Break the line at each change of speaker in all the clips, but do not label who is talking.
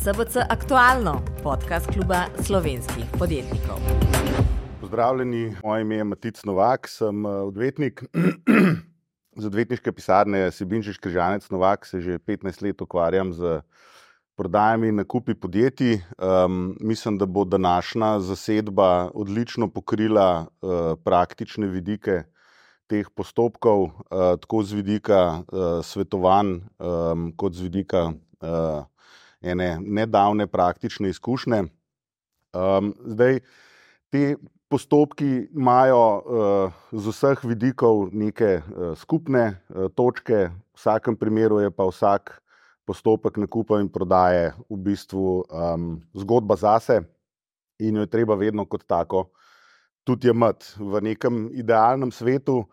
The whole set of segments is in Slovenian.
SBC Aktualno, podcast kluba slovenskih podjetnikov.
Pozdravljeni, moje ime je Matic Novak, sem odvetnik. Z odvetniške pisarne Sebinčič Križanec Novak se že 15 let ukvarjam z prodajami in nakupi podjetij. Mislim, da bo današnja zasedba odlično pokrila praktične vidike teh postopkov, tako z vidika svetovanj, kot z vidika ene nedavne praktične izkušnje. Zdaj, te postopki imajo z vseh vidikov neke skupne točke, v vsakem primeru je pa vsak postopek nakupa in prodaje v bistvu zgodba zase in jo je treba vedno kot tako tudi jemati. V nekem idealnem svetu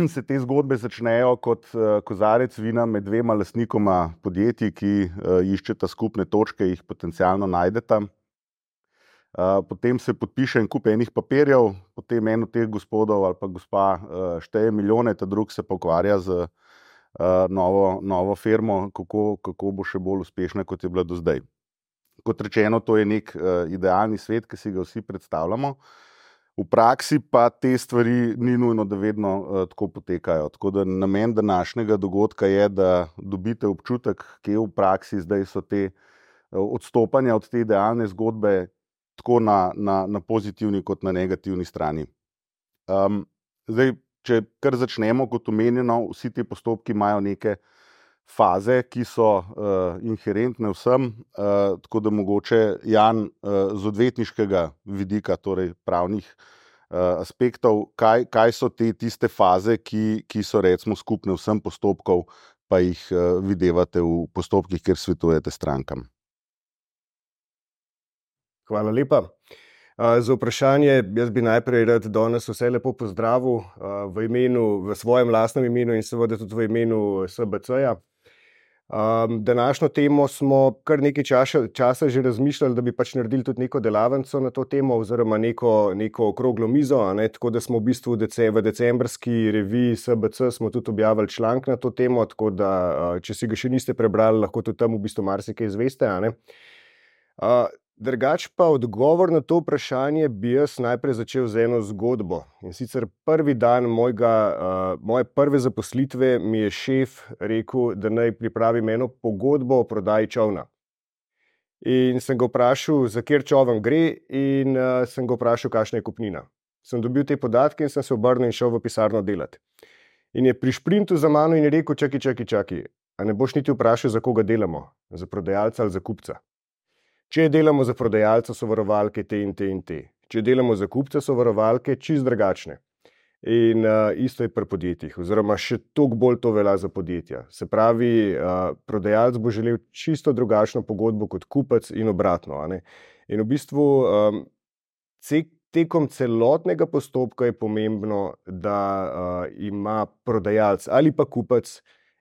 se te zgodbe začnejo kot kozarec vina med dvema lastnikoma podjetij, ki iščeta skupne točke, jih potencialno najdeta. Potem se podpiše en kup enih papirjev, potem en od teh gospodov ali pa gospa šteje milijone, ta drug se pa ukvarja z novo firmo, kako bo še bolj uspešna, kot je bila do zdaj. Kot rečeno, to je nek idealni svet, ki si ga vsi predstavljamo. V praksi pa te stvari ni nujno, da vedno tako potekajo. Tako da namen današnjega dogodka je, da dobite občutek, kje v praksi zdaj so te odstopanja od te idealne zgodbe tako na pozitivni kot na negativni strani. Zdaj, če kar začnemo, kot omenjeno, vsi ti postopki imajo neke faze, ki so inherentne vsem, tako da mogoče Jan z odvetniškega vidika, torej pravnih aspektov, kaj so tiste faze, ki so recimo skupne vsem postopkov, pa jih videvate v postopkih, kjer svetujete strankam.
Hvala lepa. Za vprašanje, jaz bi najprej rad danes vse lepo pozdravil v svojem lastnem imenu in seveda tudi v imenu SBC-ja. Današnjo temo smo kar nekaj časa že razmišljali, da bi pač naredili tudi neko delavnico na to temo oziroma neko okroglo mizo, tako da smo v bistvu v decembrski reviji SBC smo tudi objavili članek na to temo, tako da če si ga še niste prebrali, lahko tudi tam v bistvu marsikaj izveste. Drugač pa odgovor na to vprašanje bi jaz najprej začel z eno zgodbo. In sicer prvi dan moje prve zaposlitve mi je šef rekel, da naj pripravim eno pogodbo o prodaji čolna. In sem ga vprašal, za kjer čoln gre, in sem ga vprašal, kakšna je kupnina. Sem dobil te podatke in sem se obrnil in šel v pisarno delati. In je pri šprintu za mano in je rekel, čakaj, a ne boš niti vprašal, za koga delamo? Za prodajalca ali za kupca? Če delamo za prodajalca, so varovalke te in te in te. Če delamo za kupca, so varovalke čisto drugačne. In isto je pri podjetjih, oziroma še toliko bolj to velja za podjetja. Se pravi, prodajalec bo želel čisto drugačno pogodbo kot kupec in obratno. In v bistvu tekom celotnega postopka je pomembno, da ima prodajalec ali pa kupec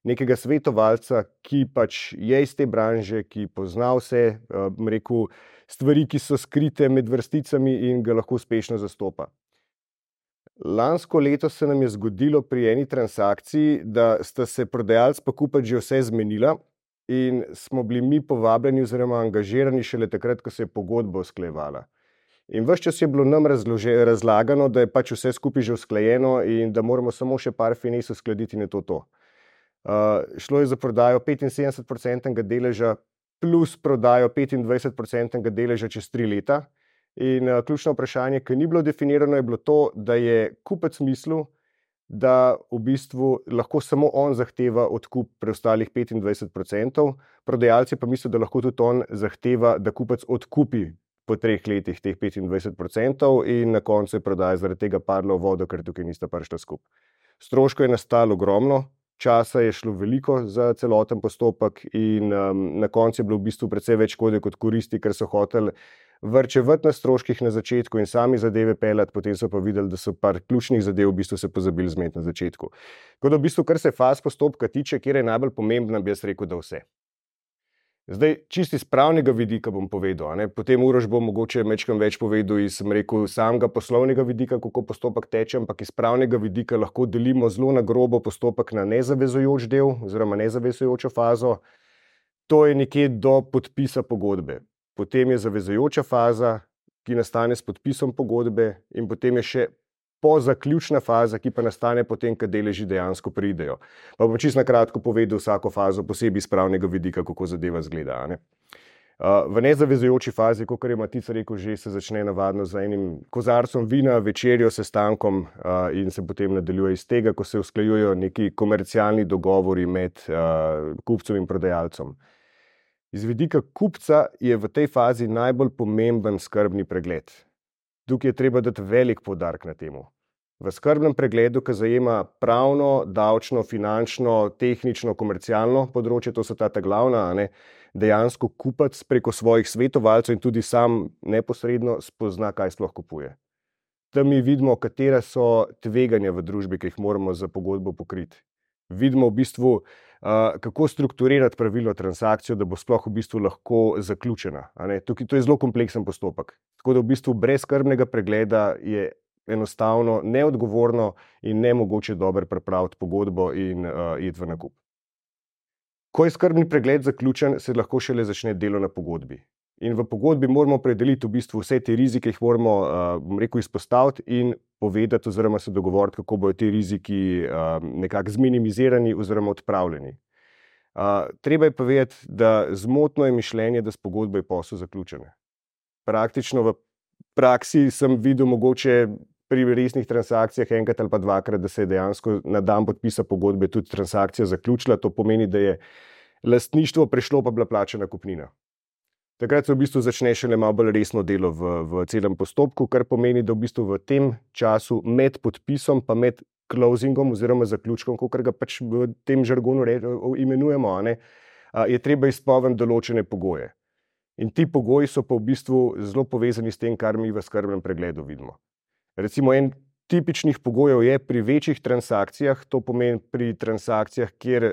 nekega svetovalca, ki pač je iz te branže, ki pozna vse stvari, ki so skrite med vrsticami in ga lahko uspešno zastopa. Lansko leto se nam je zgodilo pri eni transakciji, da sta se prodajalec pa kupec že vse zmenila in smo bili mi povabljeni oziroma angažirani šele takrat, ko se je pogodba usklajevala. In ves čas je bilo nam razlagano, da je pač vse skupaj že usklajeno in da moramo samo še par finez uskladiti in je to. Šlo je za prodajo 75% deleža plus prodajo 25% deleža čez 3 leta. In ključno vprašanje, ki ni bilo definirano, je bilo to, da je kupec mislil, da v bistvu lahko samo on zahteva odkup preostalih 25%, prodajalci pa mislijo, da lahko tudi on zahteva, da kupec odkupi po 3 letih teh 25% in na koncu je prodaja zaradi tega padla v vodo, ker tukaj nista prišla skupaj. Stroškov je nastalo ogromno. Časa je šlo veliko za celoten postopek in na koncu je bilo v bistvu precej več škode kot koristi, ker so hoteli varčevati na stroških na začetku in sami zadeve peljati, potem so pa videli, da so par ključnih zadev v bistvu se pozabili zmeniti na začetku. Tako da v bistvu, kar se faz postopka tiče, kjer je najbolj pomembna, bi jaz rekel, da vse. Zdaj, čisto iz pravnega vidika bom povedal, potem Uroš bo mogoče majčkeno več povedal iz samega poslovnega vidika, kako postopek teče, ampak iz pravnega vidika lahko delimo zelo na grobo postopek na nezavezujoč del oziroma nezavezujočo fazo. To je nekje do podpisa pogodbe. Potem je zavezujoča faza, ki nastane s podpisom pogodbe, in potem je še pozaključna faza, ki pa nastane potem, ko deleži dejansko pridejo. Pa bom čisto na kratko povedal vsako fazo posebej iz pravnega vidika, kako zadeva izgleda, a ne. V nezavezujoči fazi, kakor je Matic rekel, že se začne navadno z enim kozarcem vina, večerjo, sestankom in se potem nadaljuje iz tega, ko se usklajujejo neki komercialni dogovori med kupcem in prodajalcem. Iz vidika kupca je v tej fazi najbolj pomemben skrbni pregled. Tukaj je treba dati velik poudarek na temu. V skrbnem pregledu, ki zajema pravno, davčno, finančno, tehnično, komercialno področje, to so ta glavna, a ne, dejansko kupac preko svojih svetovalcev in tudi sam neposredno spozna, kaj sploh kupuje. Tam mi vidimo, katera so tveganja v družbi, ki jih moramo za pogodbo pokriti. Vidimo v bistvu, kako strukturirati pravilno transakcijo, da bo sploh v bistvu lahko zaključena. A ne? Tukaj, to je zelo kompleksen postopek. Tako da v bistvu brez skrbnega pregleda je enostavno neodgovorno in nemogoče dobro pripraviti pogodbo in iti v nakup. Ko je skrbni pregled zaključen, se lahko šele začne delo na pogodbi. In v pogodbi moramo opredeliti v bistvu vse te rizike, jih moramo, izpostaviti in povedati oziroma se dogovoriti, kako bodo ti riziki nekako zminimizirani oziroma odpravljeni. Treba je povedati, da zmotno je mišljenje, da s pogodbo je posel zaključen. Praktično v praksi sem videl mogoče pri resnih transakcijah enkrat ali pa dvakrat, da se je dejansko na dan podpisa pogodbe tudi transakcija zaključila. To pomeni, da je lastništvo prešlo, pa bila plačana kupnina. Takrat se v bistvu začne šele malo bolj resno delo v celem postopku, kar pomeni, da v bistvu v tem času med podpisom pa med closingom oziroma zaključkom, kakor ga pač v tem žargonu imenujemo, a ne, je treba izpolniti določene pogoje. In ti pogoji so pa v bistvu zelo povezani s tem, kar mi v skrbnem pregledu vidimo. Recimo en tipičnih pogojev je pri večjih transakcijah, to pomeni pri transakcijah, kjer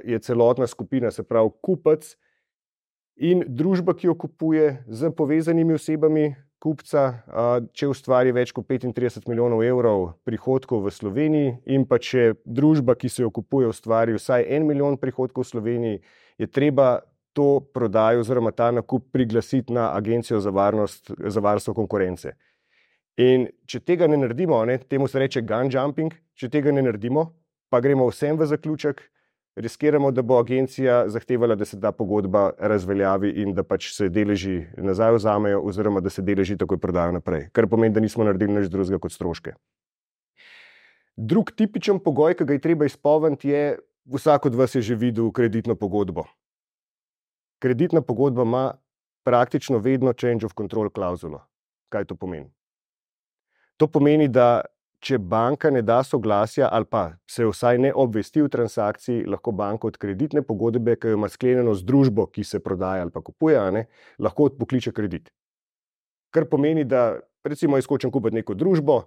je celotna skupina, se pravi kupec in družba, ki jo kupuje, z povezanimi osebami kupca, če ustvari več kot 35 milijonov evrov prihodkov v Sloveniji in pa če družba, ki se jo kupuje, ustvari vsaj 1 milijon prihodkov v Sloveniji, je treba to prodajo oziroma ta nakup priglasiti na Agencijo za varstvo konkurence. In če tega ne naredimo, ne, temu se reče gun jumping, če tega ne naredimo, pa gremo vsem v zaključek, riskiramo, da bo agencija zahtevala, da se ta pogodba razveljavi in da pač se deleži nazaj vzamejo oziroma da se deleži takoj prodajo naprej, kar pomeni, da nismo naredili nič drugega kot stroške. Drug tipičen pogoj, ki ga je treba izpolniti, je, vsak od vas je že videl kreditno pogodbo. Kreditna pogodba ima praktično vedno change of control klauzulo. Kaj to pomeni? To pomeni, da če banka ne da soglasja ali pa se vsaj ne obvesti v transakciji, lahko banka od kreditne pogodbe, ki jo ima sklenjeno z družbo, ki se prodaja ali pa kupuje, ne, lahko odpokliče kredit. Kar pomeni, da recimo jaz hočem kupiti neko družbo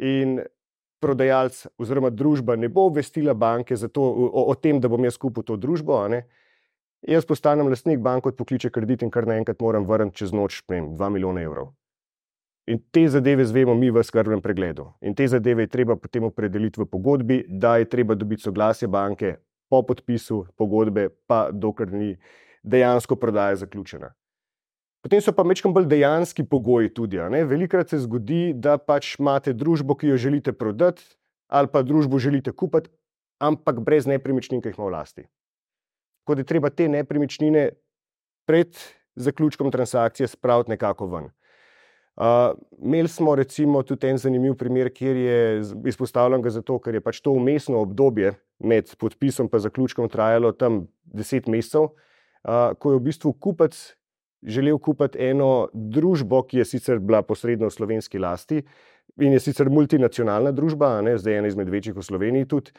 in prodajalec oziroma družba ne bo obvestila banke o tem, da bom jaz kupil to družbo, a ne. Jaz postanem lastnik, banka odpokliče kredit in kar naenkrat moram vrniti čez noč 2 milijone evrov. In te zadeve zvemo mi v skrbnem pregledu. In te zadeve je treba potem opredeliti v pogodbi, da je treba dobiti soglasje banke po podpisu pogodbe, pa dokler ni dejansko prodaja zaključena. Potem so pa majčkeno bolj dejanski pogoji tudi. Ne? Velikokrat se zgodi, da pač imate družbo, ki jo želite prodati, ali pa družbo želite kupiti, ampak brez nepremičnin, ki jih ima v lasti. Tako da je treba te nepremičnine pred zaključkom transakcije spraviti nekako ven. Imeli smo recimo tudi en zanimiv primer, kjer je izpostavljen ga zato, ker je pač to vmesno obdobje med podpisom pa zaključkom trajalo tam 10 mesecev, ko je v bistvu kupec želel kupiti eno družbo, ki je sicer bila posredno v slovenski lasti in je sicer multinacionalna družba, ne, zdaj ena izmed večjih v Sloveniji tudi.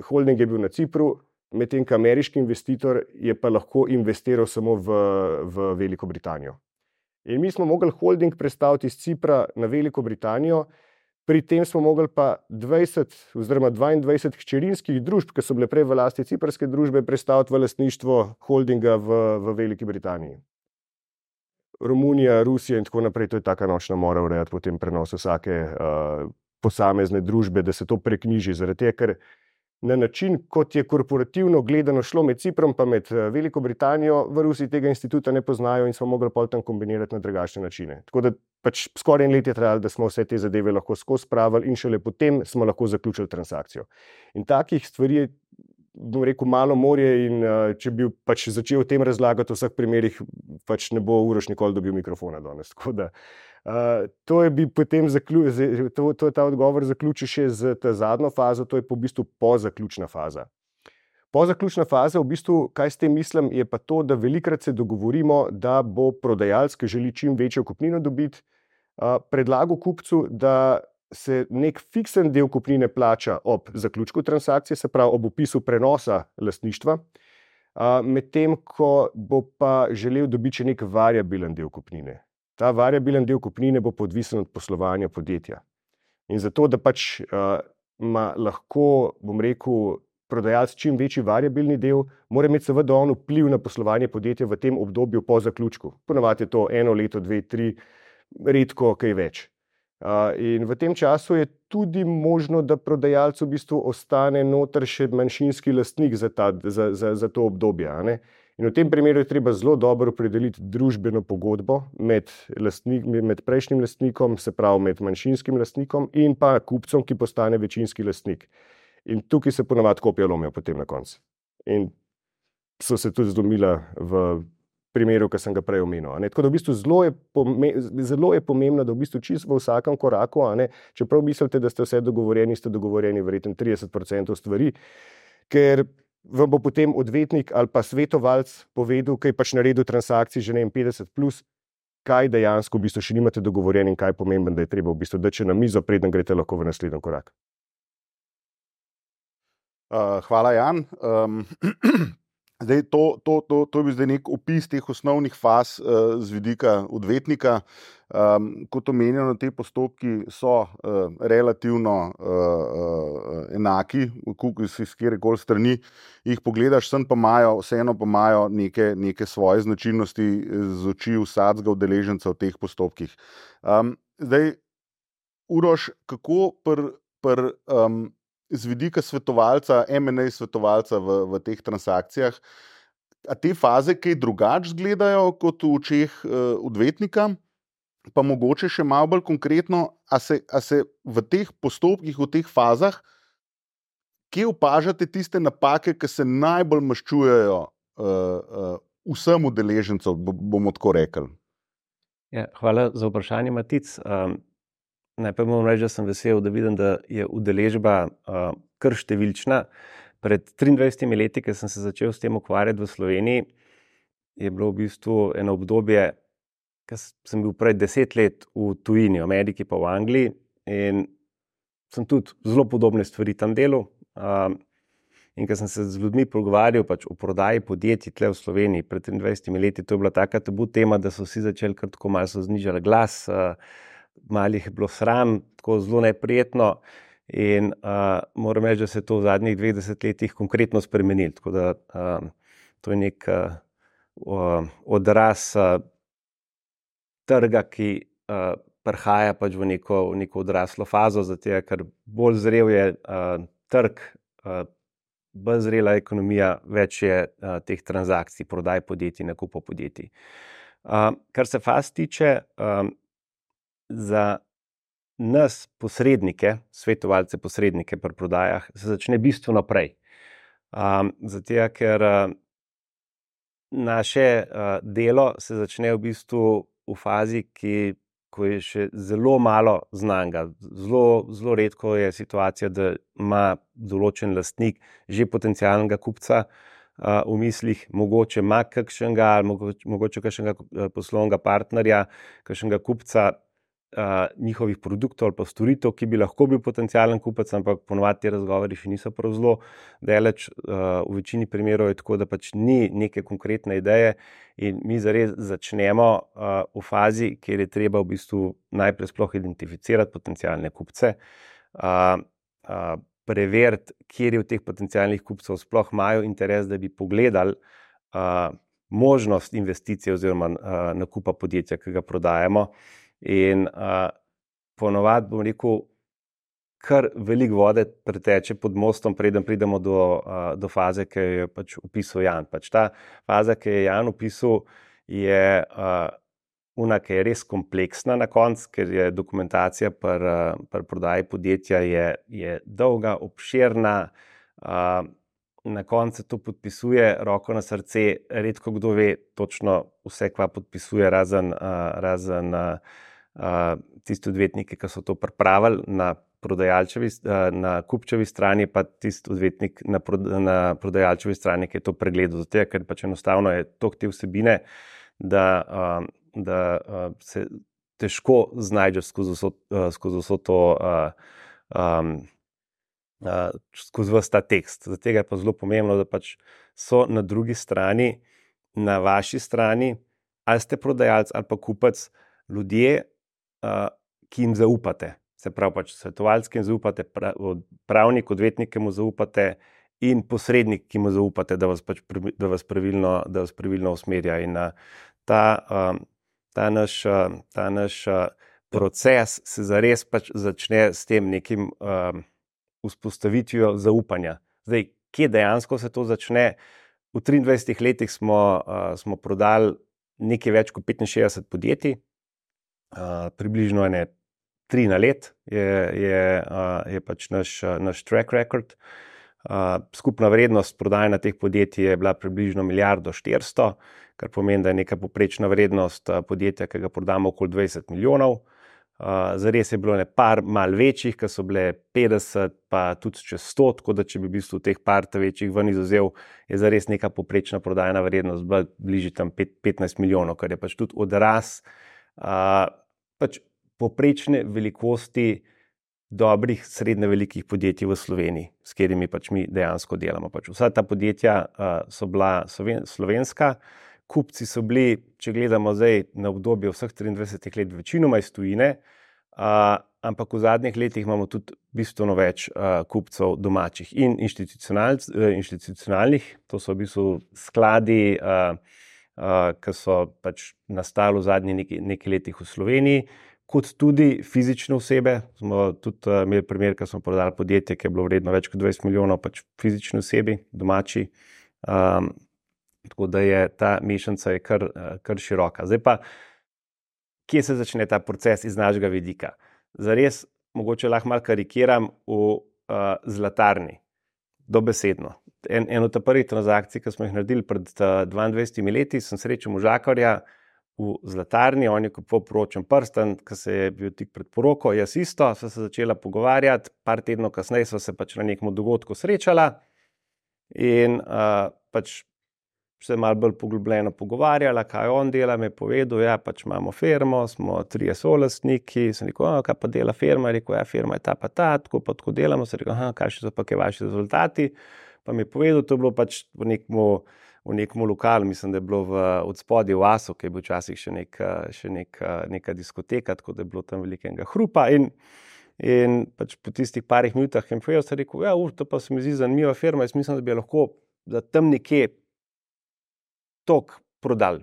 Holding je bil na Cipru, medtem ko ameriški investitor je pa lahko investiral samo v Veliko Britanijo. In mi smo mogli holding prestaviti iz Cipra na Veliko Britanijo, pri tem smo mogli pa 20 oziroma 22 hčerinskih družb, ki so bile prej v lasti ciprske družbe, prestaviti v lastništvo holdinga v Veliki Britaniji. Romunija, Rusija in tako naprej, to je taka nočna mora urejati potem prenos vsake posamezne družbe, da se to preknjiži, zaradi tega, ker na način, kot je korporativno gledano šlo med Ciprom pa med Veliko Britanijo, v Rusiji tega instituta ne poznajo in smo mogli pol tam kombinirati na drugačne načine. Tako da pač skoraj 1 let je trajalo, da smo vse te zadeve lahko skozi spravili in šele potem smo lahko zaključili transakcijo. In takih stvari je, bom rekel, malo morje in če bi pač začel o tem razlagati v vseh primerih, pač ne bo Uroš nikoli dobil mikrofona danes. Tako da to je bi potem ta odgovor zaključil še z ta zadnjo fazo, to je pa v bistvu pozaključna faza. Pozaključna faza, v bistvu, kaj s tem mislim, je pa to, da velikokrat se dogovorimo, da bo prodajalec, ki želi čim večjo kupnino dobiti, predlagal kupcu, da se nek fiksen del kupnine plača ob zaključku transakcije, se pravi ob opisu prenosa lastništva, medtem ko bo pa želel dobiti še nek variabilen del kupnine. Ta variabilen del kupnine bo odvisen od poslovanja podjetja. In zato, da pač ima lahko, bom rekel, prodajalec čim večji variabilni del, mora imeti seveda on vpliv na poslovanje podjetja v tem obdobju po zaključku. Ponavadi je to 1 leto, 2, 3, redko kaj več. In v tem času je tudi možno, da prodajalec v bistvu ostane noter še manjšinski lastnik za to obdobje. Ne? In v tem primeru je treba zelo dobro opredeliti družbeno pogodbo med prejšnjim lastnikom, se pravi med manjšinskim lastnikom in pa kupcem, ki postane večinski lastnik. In tukaj se ponavadi kopija lomijo potem na koncu. In so se tudi zlomila v primeru, ki sem ga prej omenil. Tako da v bistvu zelo je pomembno, da v bistvu čisto v vsakem koraku, čeprav mislite, da ste vse dogovorjeni, ste dogovorjeni verjetno 30% stvari, ker vam bo potem odvetnik ali pa svetovalec povedal, kaj pač naredil transakcij že 50+, kaj dejansko v bistvu še nimate dogovorjeni in kaj je pomembno, da je treba v bistvu dati na mizo, preden greste lahko v naslednji korak.
Hvala, Jan. Zdaj, to je bil zdaj nek opis teh osnovnih faz z vidika odvetnika. Kot omenjeno, te postopki so relativno enaki, s kjerkoli strani jih pogledaš, vseeno pa imajo neke svoje značilnosti z oči vsakega udeleženca v teh postopkih. Zdaj, Uroš, kako z vidika svetovalca, M&A svetovalca v teh transakcijah, a te faze kaj drugače izgledajo kot v očeh odvetnika, pa mogoče še malo bolj konkretno, a se v teh postopkih, v teh fazah, kje opažate tiste napake, ki se najbolj maščujejo vsem udeležencem, bomo tako rekli?
Ja, hvala za vprašanje, Matic. Najprej moram reči, da sem vesel, da vidim, da je udeležba kar številčna. Pred 23 leti, ko sem se začel s tem ukvarjati v Sloveniji, je bilo v bistvu eno obdobje, ko sem bil prej 10 let v tujini, v Ameriki pa v Angliji, in sem tudi zelo podobne stvari tam delal. In ko sem se z ljudmi pogovarjal pač o prodaji podjetij tle v Sloveniji pred 23 leti, to je bila taka tabu tema, da so vsi začeli kar tako malo so znižali glas, malo jih je bilo sram, tako zelo neprijetno, in moram reči, da se je to v zadnjih 20 letih konkretno spremenilo. Tako da to je nek odraz trga, ki prihaja pač v neko odraslo fazo, zato ker bolj zrel je trg, bolj zrela ekonomija, več je teh transakcij, prodaj podjetij, nakupov podjetij. Kar se faz tiče, za nas posrednike, svetovalce posrednike pri prodajah, se začne bistveno prej. Zato, ker naše delo se začne v bistvu v fazi, ko je še zelo malo znanega. Zelo redko je situacija, da ima določen lastnik že potencialnega kupca v mislih, mogoče ima kakšnega ali mogoče kakšnega poslovnega partnerja, kakšnega kupca njihovih produktov ali pa storitev, ki bi lahko bil potencialen kupec, ampak ponovadi ti razgovori še niso prav zelo daleč. V večini primerov je tako, da pač ni neke konkretne ideje in mi zares začnemo v fazi, kjer je treba v bistvu najprej sploh identificirati potencialne kupce, preveriti, kjer je v teh potencialnih kupcev sploh imajo interes, da bi pogledali možnost investicije oziroma nakupa podjetja, ki ga prodajamo. In ponovadi, bom rekel, kar veliko vode preteče pod mostom, preden pridemo do faze, ki jo je pač opisal Jan. Pač ta faza, ki je Jan opisal, je ki je res kompleksna na koncu, ker je dokumentacija pri prodaji podjetja je dolga, obširna, na koncu to podpisuje, roko na srce, redko kdo ve točno vse, kva podpisuje, razen tisti odvetniki, ki so to pripravili na kupčevi strani, pa tisti odvetnik na prodajalčevi strani, ki je to pregledal. Zato, ker pač enostavno je toliko te vsebine, da se težko znajdeš skozi vso to, skozi ves ta tekst. Zato je pa zelo pomembno, da pač so na drugi strani, na vaši strani, ali ste prodajalec ali pa kupec, ljudje, ki jim zaupate. Se pravi pač svetovalec, ki jim zaupate, pravnik, odvetnik, ki mu zaupate in posrednik, ki mu zaupate, da vas pravilno usmerja. In ta naš proces se zares pač začne s tem nekim vzpostavitvijo zaupanja. Zdaj, kje dejansko se to začne? V 23 letih smo prodali nekaj več kot 65 podjetij, približno 3 na let je pač naš track record. Skupna vrednost prodajanja teh podjetij je bila približno 1,4 milijarde, kar pomeni, da je neka povprečna vrednost podjetja, ki ga prodamo, okoli 20 milijonov. Zares je bilo par mal večjih, ki so bile 50, pa tudi čez 100, tako da če bi v bistvu teh par večjih ven izuzel, je zares neka povprečna prodajna vrednost bila bližje tam 15 milijonov, kar je pač tudi odraz pač povprečne velikosti dobrih, srednje velikih podjetij v Sloveniji, s katerimi pač mi dejansko delamo. Pač vsa ta podjetja so bila slovenska, kupci so bili, če gledamo zdaj na obdobje vseh 23 let, večinoma iz tujine, ampak v zadnjih letih imamo tudi bistveno več kupcev domačih in institucionalnih, to so v bistvu skladi, ki so pač nastali v zadnjih nekaj letih v Sloveniji, kot tudi fizične osebe. Smo tudi imeli primer, ko smo prodali podjetje, ki je bilo vredno več kot 20 milijonov, pač fizične osebi, domači. Tako da je ta mešanica je kar široka. Zdaj pa, kje se začne ta proces iz našega vidika? Zares, mogoče lahko malo karikiram, v zlatarni, dobesedno. Eno od prvih transakcij, ki smo jih naredili pred 22 leti, sem srečal možakarja v zlatarni, on je kupoval poročen prsten, ki se je bil tik pred poroko, jaz isto, sva se začela pogovarjati, par tednov kasneje sva se pač na nekem dogodku srečala in pač se malo bolj poglobljeno pogovarjala, kaj on dela, mi je povedal, ja, pač imamo firmo, smo 3 solastniki, sem rekel, kaj pa dela firma, je rekel, ja, firma je ta pa ta, tako pa tako delamo, sem rekel, kaj so pa kaj vaši rezultati, pa mi je povedal, to je bilo pač v nekem lokalu, mislim, da je bilo od spodaj v Asu, ki je bil včasih še neka diskoteka, tako da je bilo tam velikega hrupa in pač po tistih parih minutah je mi povedal, sem rekel, ja, to pa se mi zdi zanimiva firma, jaz mislim, da bi lahko za tam nekje tok prodali.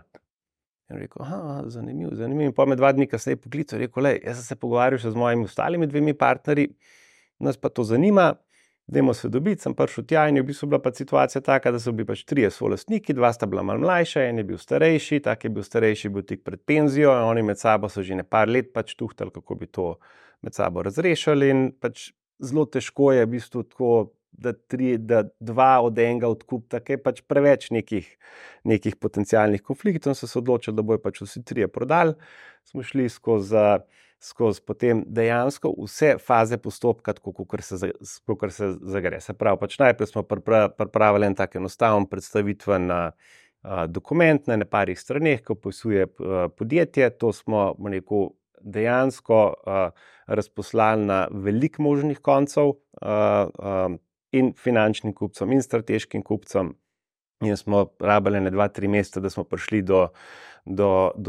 In rekel, zanimivo. In pa me 2 dni kasneje poklical, rekel, jaz sem se pogovarjal še z mojimi ostalimi 2 partnerji, nas pa to zanima, dajmo se dobiti, sem prišel tja in je v bistvu bila pa situacija taka, da so bili pač 3 solastniki, 2 sta bila malo mlajša, en je bil starejši, tak je bil starejši, bil tik pred penzijo, oni med sabo so že par let pač tuhtali, kako bi to med sabo razrešili in pač zelo težko je v bistvu tako, da 2 od enega odkupta, ker je pač preveč nekih potencialnih konfliktov, so se odločili, da bojo pač vsi 3 prodali. Smo šli skozi potem dejansko vse faze postopka, kakor se zagre. Se pravi, pač najprej smo pripravili en tak enostaven predstavitven dokument na parih straneh, ki opisuje podjetje. To smo dejansko razposlali na veliko možnih koncev in finančnim kupcem in strateškim kupcem. In smo rabili 2-3 meseca, da smo prišli do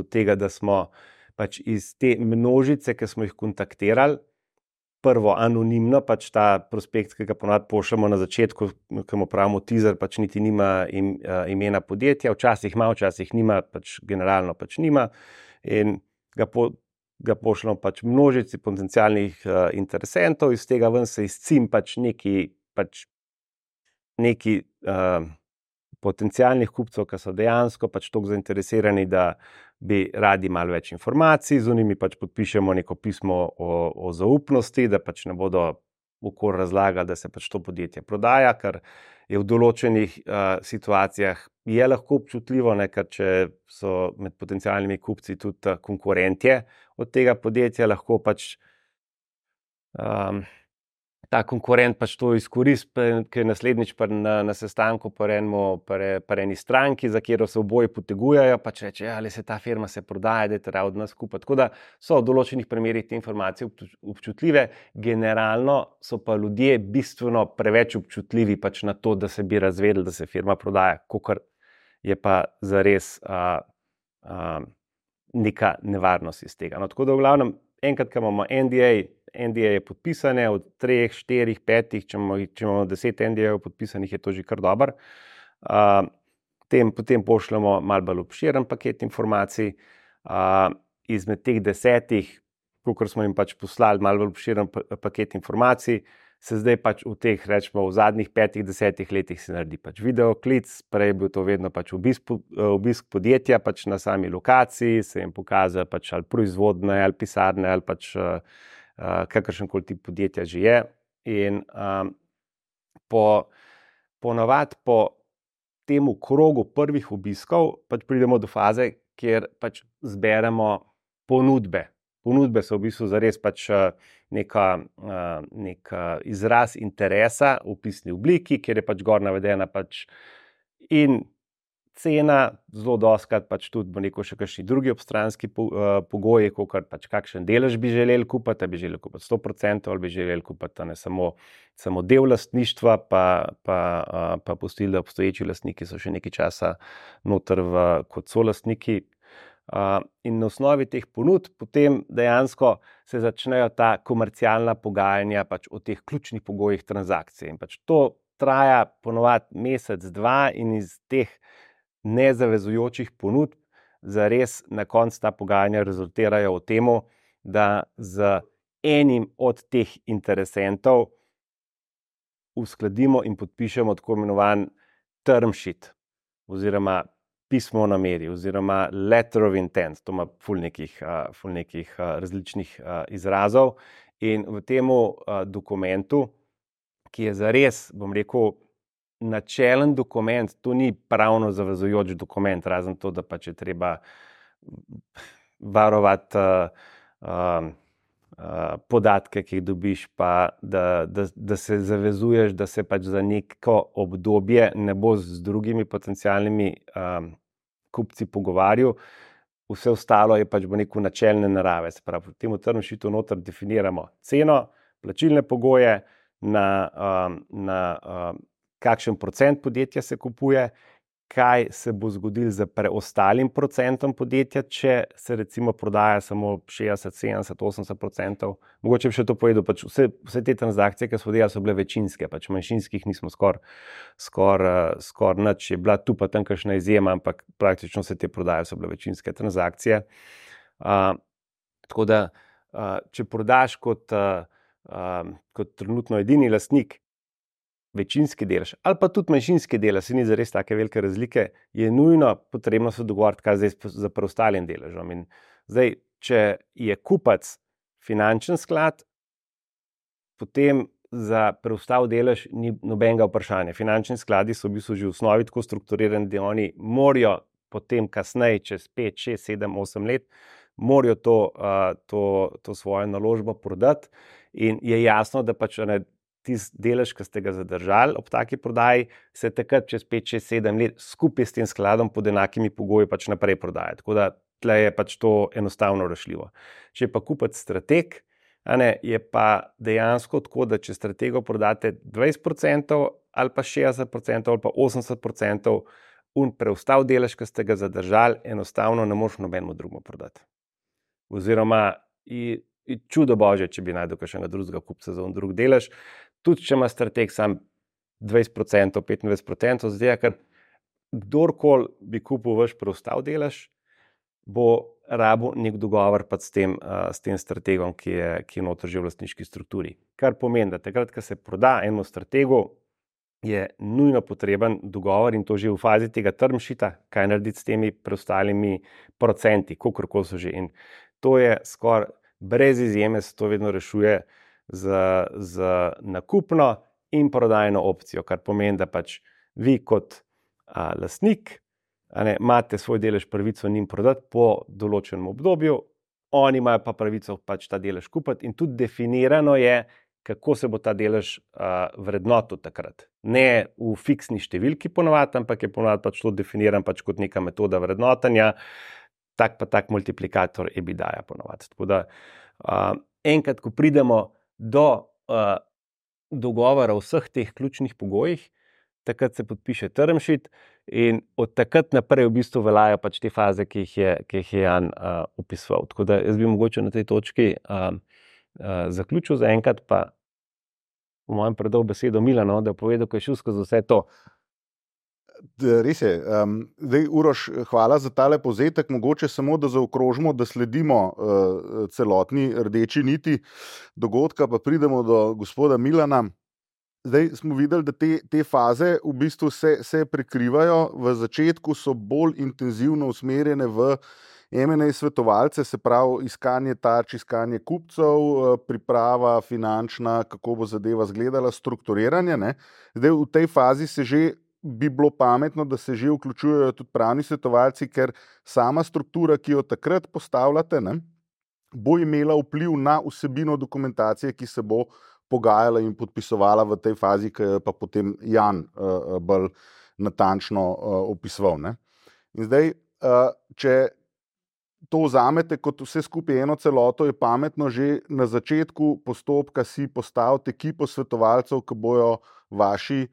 tega, da smo pač iz te množice, ki smo jih kontaktirali, prvo anonimno, pač ta prospekt, ki ga ponavadi pošljemo na začetku, ki mu pravimo teaser, pač niti nima imena podjetja, včasih ima, včasih nima, pač generalno pač nima. In ga ga pošljemo pač množici potencialnih interesentov, iz tega ven se izcim pač neki potencialnih kupcev, ki so dejansko pač toliko zainteresirani, da bi radi malo več informacij, z njimi pač podpišemo neko pismo o zaupnosti, da pač ne bodo okoli razlagali, da se pač to podjetje prodaja, ker je v določenih situacijah je lahko občutljivo, ne, ker če so med potencialnimi kupci tudi konkurentje od tega podjetja, lahko pač ta konkurent pač to izkoristi, ker je naslednjič na sestanku pri eni stranki, za katero se oboji potegujejo, pač reče, ali se ta firma se prodaja, da je treba od nas kupiti. Tako da so v določenih primerih te informacije občutljive, generalno so pa ljudje bistveno preveč občutljivi pač na to, da se bi razvedeli, da se firma prodaja, kakor je pa zares neka nevarnost iz tega. No, tako da v glavnem, enkrat, ko imamo NDA je podpisane od 3, 4, 5, če imamo 10 NDA-jev podpisanih, je to že kar dobro. Potem pošljemo malo bolj obširen paket informacij. Izmed teh 10, kolikor smo jim pač poslali malo bolj obširen paket informacij, se zdaj pač v teh, rečemo, v zadnjih 5-10 letih se naredi pač videoklic, prej je bil to vedno pač obisk podjetja pač na sami lokaciji, se jim pokaže pač ali proizvodne, ali pisarne, ali pač kakršenkoli tip podjetja že je. In ponavadi po temu krogu prvih obiskov pač pridemo do faze, kjer pač zberemo ponudbe. Ponudbe so v bistvu zares pač nek izraz interesa v pisni obliki, kjer je pač gor navedena pač in cena, zelo dostikrat pač tudi bo neko še kakšni drugi obstranski pogoji, kakor pač kakšen delež bi želeli kupiti, bi želeli kupiti 100% ali bi želeli kupiti samo del lastništva, pa pustili, da obstoječi lastniki so še nekaj časa noter kot solastniki. In na osnovi teh ponudb potem dejansko se začnejo ta komercialna pogajanja pač o teh ključnih pogojih transakcije. In pač to traja ponovadi mesec, dva in iz teh nezavezujočih ponudb zares na koncu ta pogajanja rezultirajo v temu, da z enim od teh interesentov uskladimo in podpišemo tako imenovan term sheet oziroma pismo o nameri oziroma letter of intent, to ima ful nekih različnih izrazov. In v temu dokumentu, ki je zares, bom rekel, načelen dokument, to ni pravno zavezujoč dokument, razen to, da pač je treba varovati podatke, ki jih dobiš, pa da se zavezuješ, da se pač za neko obdobje ne bo z drugimi potencialnimi kupci pogovarjal. Vse ostalo je pač bo neko načelne narave. Se pravi, v tem term sheetu noter definiramo ceno, plačilne pogoje, na kakšen procent podjetja se kupuje, kaj se bo zgodilo z preostalim procentom podjetja, če se recimo prodaja samo 60, 70, 80%. Mogoče bi še to povedal, pač vse te transakcije, ki so delali, so bile večinske, pač manjšinskih nismo skoraj nič. Je bila tu pa tam kakšna izjema, ampak praktično vse te prodaje so bile večinske transakcije. Tako da, če prodaš kot trenutno edini lastnik večinski delež ali pa tudi manjšinski delež, se ni zares take velike razlike, je nujno potrebno se dogovoriti, kaj zdaj za preostalim deležom. In zdaj, če je kupac finančen sklad, potem za preostal delež ni nobenega vprašanja. Finančni skladi so v bistvu že v osnovi tako strukturirani, da oni morajo potem kasneje, čez 5, 6, 7, 8 let, morajo to svojo naložbo prodati in je jasno, da pač tisti delež, ki ste ga zadržali ob taki prodaji, se takrat čez 5, 6, 7 let skupaj s tem skladom pod enakimi pogoji pač naprej prodaja. Tako da tle je pač to enostavno rešljivo. Če pa kupec strateg, je pa dejansko tako, da če stratego prodate 20% ali pa 60% ali pa 80%, preostal delež, ki ste ga zadržali, enostavno ne moreš nobenemu drugemu prodati. Oziroma, čudo božje, če bi najdel kakšnega drugega kupca za drug delež, tudi če ima strateg sam 20%, 25%, zdaj, ker kdorkoli bi kupil vaš preostal delež, bo rabu nek dogovor pa s tem strategom, ki je noter že v lastniški strukturi. Kar pomeni, da takrat, ko se proda enemu strategu, je nujno potreben dogovor in to že v fazi tega term sheeta, kaj narediti s temi preostalimi procenti, kakorkoli so že. In to je skoraj brez izjeme, se to vedno rešuje z nakupno in prodajno opcijo, kar pomeni, da pač vi kot lastnik imate svoj delež pravico njim prodati po določenem obdobju, oni imajo pa pravico pač ta delež kupiti in tudi definirano je, kako se bo ta delež vrednotil takrat. Ne v fiksni številki ponovadi, ampak je ponovadi pač to definiran pač kot neka metoda vrednotenja, tak pa tak multiplikator EBITDA ponovadi. Tako da enkrat, ko pridemo do dogovora o vseh teh ključnih pogojih, takrat se podpiše term sheet in od takrat naprej v bistvu veljajo pač te faze, ki jih je Jan opisoval. Tako da jaz bi mogoče na tej točki zaključil za enkrat, pa v mojem predal besedo Milanu, da je povedal, ko je šel skozi vse to.
Res je. Zdaj, Uroš, hvala za tale povzetek. Mogoče samo, da zaokrožimo, da sledimo celotni rdeči niti dogodka, pa pridemo do gospoda Milana. Zdaj smo videli, da te faze v bistvu se prekrivajo. V začetku so bolj intenzivno usmerjene v M&A svetovalce, se pravi iskanje tarč, iskanje kupcev, priprava finančna, kako bo zadeva izgledala, strukturiranje. Ne? Zdaj v tej fazi bi bilo pametno, da se že vključujejo tudi pravni svetovalci, ker sama struktura, ki jo takrat postavljate, ne, bo imela vpliv na vsebino dokumentacije, ki se bo pogajala in podpisovala v tej fazi, ki je pa potem Jan bolj natančno opisoval. Ne. In zdaj, če to vzamete kot vse skupaj eno celoto, je pametno že na začetku postopka si postaviti ekipo svetovalcev, ki bojo vaši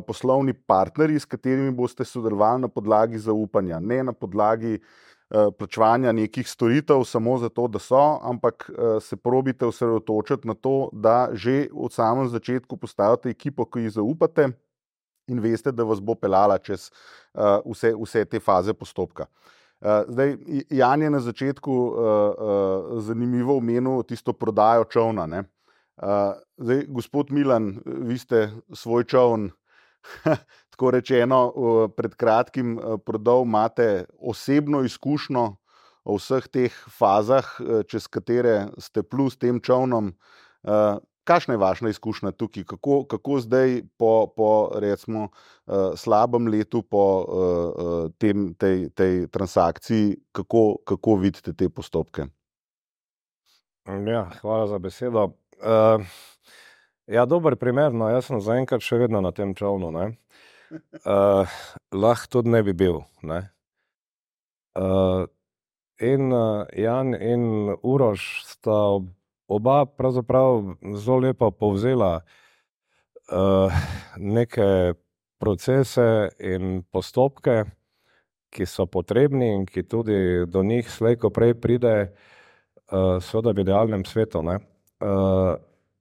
poslovni partnerji, s katerimi boste sodelovali na podlagi zaupanja, ne na podlagi plačevanja nekih storitev samo zato, da so, ampak se probite osredotočiti na to, da že od samem začetku postavite ekipo, ki ji zaupate in veste, da vas bo peljala čez vse te faze postopka. Zdaj, Jan je na začetku zanimivo omenil tisto prodajo čolna. Ne? Zdaj, gospod Milan, vi ste svoj čoln tako rečeno pred kratkim prodal, imate osebno izkušnjo o vseh teh fazah, čez katere ste plus tem čolnom. Kakšna je vaša izkušnja tukaj? Kako zdaj po recimo slabem letu po tej transakciji, kako vidite te postopke?
Ja, hvala za besedo. Ja, dober primer, no, jaz sem zaenkrat še vedno na tem čolnu, ne. Lahko tudi ne bi bil, ne. In Jan in Uroš sta oba pravzaprav zelo lepo povzela neke procese in postopke, ki so potrebni in ki tudi do njih slej ko prej pride seveda v idealnem svetu, ne.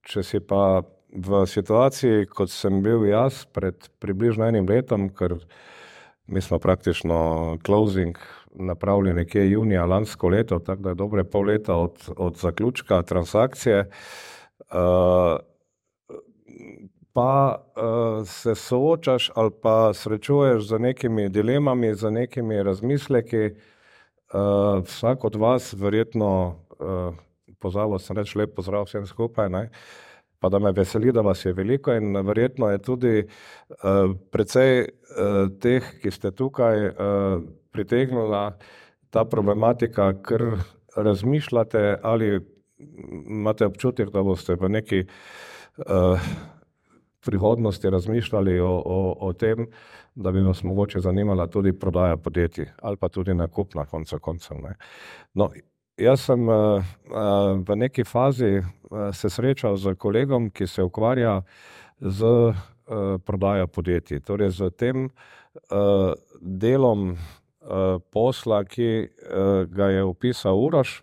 Če si pa v situaciji, kot sem bil jaz pred približno enim letom, ker mi smo praktično closing napravili nekje junija lansko leto, tako da je dobre pol leta od zaključka transakcije, pa se soočaš ali pa srečuješ z nekimi dilemami, z nekimi razmisleki. Vsak od vas verjetno, pozabil sem reči lep pozdrav vsem skupaj, ne? Pa da me veseli, da vas je veliko in verjetno je tudi precej teh, ki ste tukaj pritegnila ta problematika, ker razmišljate ali imate občutek, da boste v neki prihodnosti razmišljali o tem, da bi vas mogoče zanimala tudi prodaja podjetij ali pa tudi nakup na koncu koncev, ne. No, jaz sem v neki fazi se srečal z kolegom, ki se ukvarja z prodajo podjetij, torej z tem delom posla, ki ga je opisal Uroš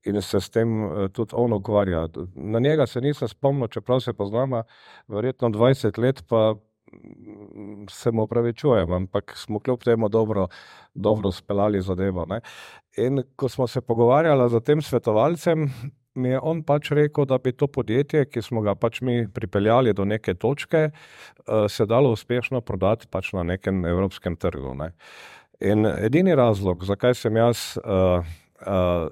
in se s tem tudi on ukvarja. Na njega se nisem spomnil, čeprav se poznamo verjetno 20 let, pa se mu opravičujem, ampak smo kljub temu dobro speljali zadevo. Ne. In ko smo se pogovarjali z tem svetovalcem, mi je on pač rekel, da bi to podjetje, ki smo ga pač mi pripeljali do neke točke, se dalo uspešno prodati pač na nekem evropskem trgu. Ne. In edini razlog, zakaj sem jaz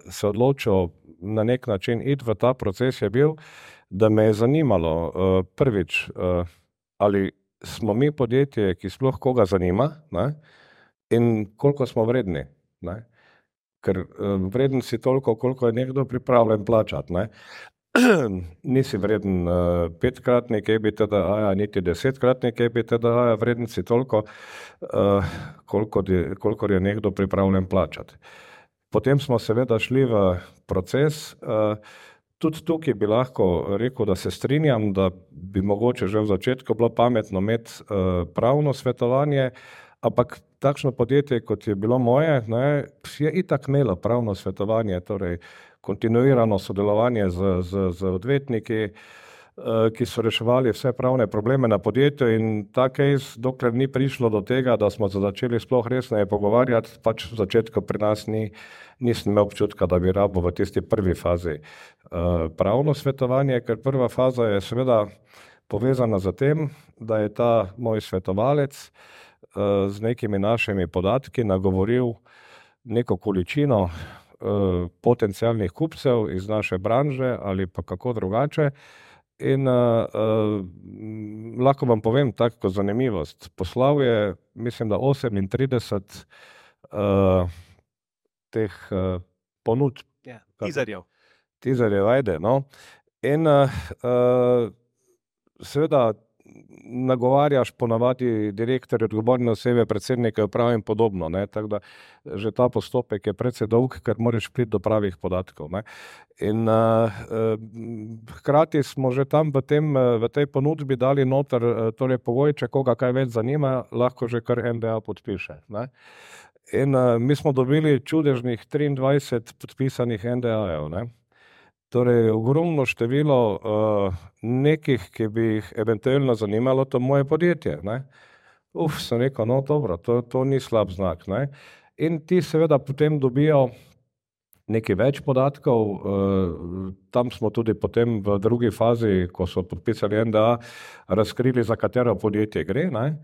se odločil na nek način iti v ta proces, je bil, da me je zanimalo prvič, ali smo mi podjetje, ki sploh koga zanima, ne, in koliko smo vredni. Ne. Ker vreden si toliko, koliko je nekdo pripravljen plačati. Ne. Nisi vreden 5-kratnik EBITDA, niti 10-kratnik EBITDA, vreden si toliko, koliko je nekdo pripravljen plačati. Potem smo seveda šli v proces. Tudi tukaj bi lahko rekel, da se strinjam, da bi mogoče že v začetku bilo pametno imeti pravno svetovanje, ampak takšno podjetje, kot je bilo moje, ne, je itak imelo pravno svetovanje, torej kontinuirano sodelovanje z odvetniki, ki so reševali vse pravne probleme na podjetju, in ta case, dokler ni prišlo do tega, da smo se začeli sploh resneje pogovarjati, pač v začetku pri nas nisem imel občutka, da bi rabo v tisti prvi fazi pravno svetovanje, ker prva faza je seveda povezana z tem, da je ta moj svetovalec z nekimi našimi podatki nagovoril neko količino potencialnih kupcev iz naše branže ali pa kako drugače. In lahko vam povem tako zanimivost. Poslal je, mislim, da 38 teh ponudb.
Ja, tizerjev,
ajde, no. In seveda nagovarjaš ponavadi direktorje, odgovorne osebe, predsednike uprav in podobno, ne, tako da že ta postopek je precej dolg, ker moraš priti do pravih podatkov, ne. In hkrati smo že tam v tej ponudbi dali noter torej pogoj, če koga kaj več zanima, lahko že kar NDA podpiše, ne. In mi smo dobili čudežnih 23 podpisanih NDA-jev, ne. Torej, ogromno število nekih, ki bi jih eventualno zanimalo to moje podjetje, ne. Sem rekel, no dobro, to ni slab znak, ne. In ti seveda potem dobijo nekaj več podatkov, tam smo tudi potem v drugi fazi, ko so podpisali NDA, razkrili, za katero podjetje gre, ne.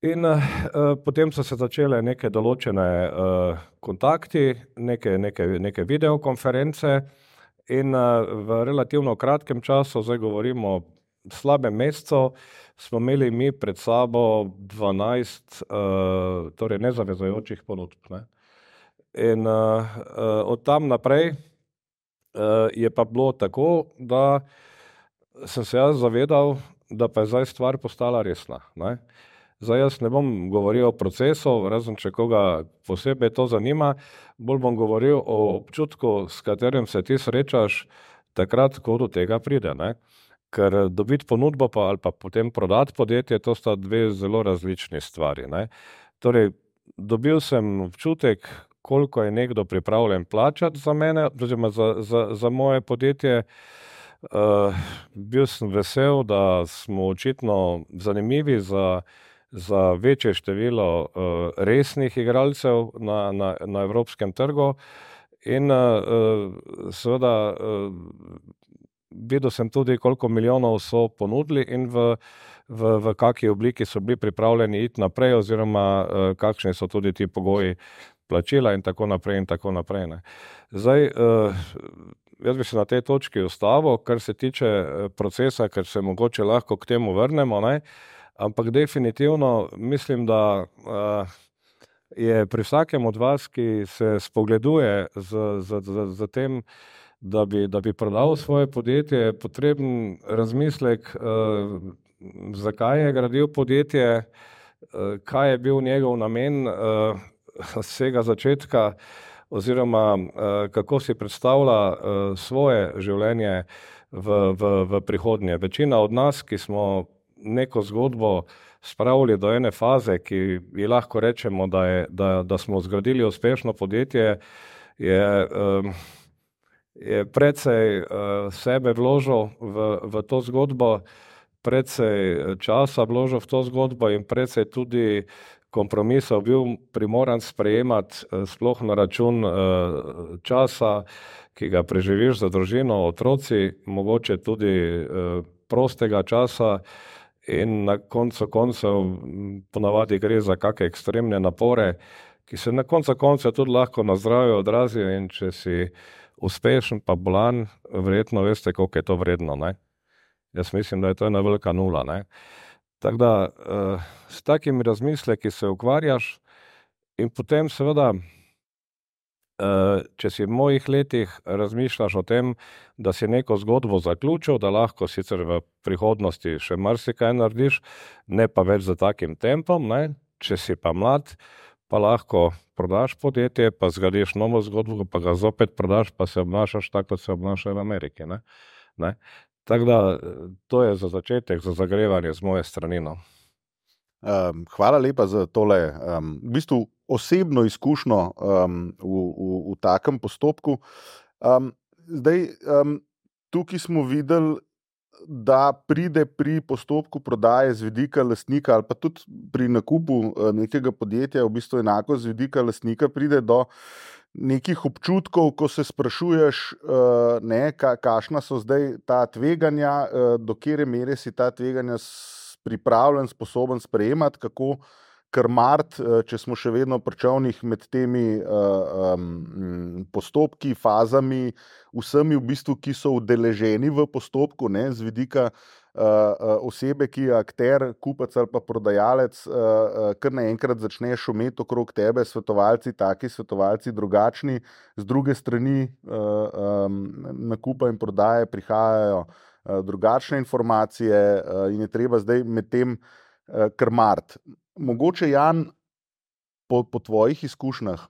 In potem so se začele neke določene kontakti, neke videokonference, in v relativno kratkem času, zdaj govorimo slabem mesecu, smo imeli mi pred sabo 12 torej nezavezujočih ponudb, ne. In od tam naprej je pa bilo tako, da sem se jaz zavedal, da pa je zdaj stvar postala resna, ne. Zdaj jaz ne bom govoril o procesu, razen če koga posebej to zanima, bolj bom govoril o občutku, s katerim se ti srečaš takrat, ko do tega pride, ne. Ker dobiti ponudbo pa ali pa potem prodati podjetje, to sta dve zelo različni stvari, ne. Torej, dobil sem občutek, koliko je nekdo pripravljen plačati za mene, oziroma za moje podjetje. Bil sem vesel, da smo očitno zanimivi za večje število resnih igralcev na evropskem trgu, in seveda videl sem tudi, koliko milijonov so ponudili in v kakšni obliki so bili pripravljeni iti naprej, oziroma kakšni so tudi ti pogoji plačila in tako naprej in tako naprej, ne. Zdaj, jaz bi se na tej točki ustavil, kar se tiče procesa, ker se mogoče lahko k temu vrnemo, ne. Ampak definitivno mislim, da je pri vsakem od vas, ki se spogleduje z tem, da bi prodal svoje podjetje, potreben razmislek, zakaj je gradil podjetje, kaj je bil njegov namen vsega začetka, oziroma kako si predstavlja svoje življenje v prihodnje. Večina od nas, ki smo neko zgodbo spravili do ene faze, ki ji lahko rečemo, da smo zgradili uspešno podjetje, je precej sebe vložil v to zgodbo, precej časa vložil v to zgodbo in precej tudi kompromisov bil primoran sprejemati, sploh na račun časa, ki ga preživiš za družino, otroci, mogoče tudi prostega časa in na koncu koncev ponavadi gre za kakšne ekstremne napore, ki se na koncu koncev tudi lahko na zdravju odrazijo in če si uspešen pa bolan, verjetno veste, koliko je to vredno, ne? Jaz mislim, da je to ena velika nula, ne? Tako da s takimi razmisleki se ukvarjaš in potem seveda, če si v mojih letih razmišljaš o tem, da si neko zgodbo zaključil, da lahko sicer v prihodnosti še marsikaj narediš, ne pa več za takim tempom, ne? Če si pa mlad, pa lahko prodaš podjetje, pa zgradiš novo zgodbo, pa ga zopet prodaš, pa se obnašaš tako, kot se obnašajo v Ameriki, ne? Tako da to je za začetek, za zagrevanje z moje strani.
Hvala lepa za tole v bistvu osebno izkušnjo v takem postopku. Zdaj, tukaj smo videli, da pride pri postopku prodaje z vidika lastnika ali pa tudi pri nakupu nekega podjetja, v bistvu enako z vidika lastnika pride do nekih občutkov, ko se sprašuješ, kakšna so zdaj ta tveganja, do katere mere si ta tveganja pripravljen, sposoben sprejemati, kako krmariti, če smo še vedno pri čolnih med temi postopki, fazami, vsemi v bistvu, ki so udeleženi v postopku, ne, z vidika osebe, ki je akter, kupec ali pa prodajalec, kar naenkrat začne šumeti okrog tebe, svetovalci taki, svetovalci drugačni, z druge strani nakupa in prodaje prihajajo drugačne informacije in je treba zdaj med tem krmariti. Mogoče, Jan, po tvojih izkušnjah,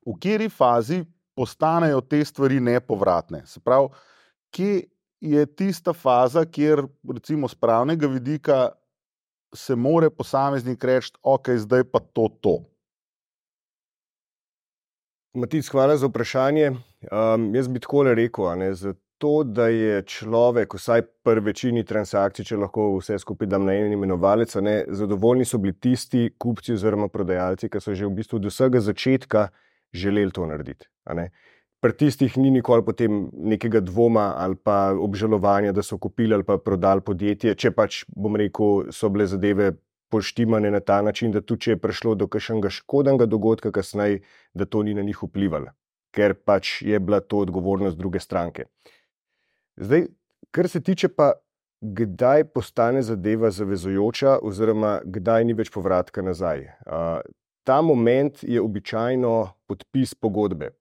v kateri fazi postanejo te stvari nepovratne? Se pravi, kje je tista faza, kjer recimo z pravnega vidika se more posameznik reči, ok, zdaj pa to.
Matic, hvala za vprašanje. Jaz bi takole rekel, zato, da je človek, vsaj pri večini transakcij, če lahko vse skupaj dam na en imenovalec, zadovoljni so bili tisti kupci oziroma prodajalci, ki so že v bistvu od vsega začetka želeli to narediti. Pri tistih ni nikoli potem nekega dvoma ali pa obžalovanja, da so kupili ali pa prodali podjetje, če pač, bom rekel, so bile zadeve poštimane na ta način, da tudi če je prišlo do kakšnega škodnega dogodka kasneje, da to ni na njih vplivalo, ker pač je bila to odgovornost druge stranke. Zdaj, kar se tiče pa, kdaj postane zadeva zavezujoča oziroma kdaj ni več povratka nazaj. Ta moment je običajno podpis pogodbe.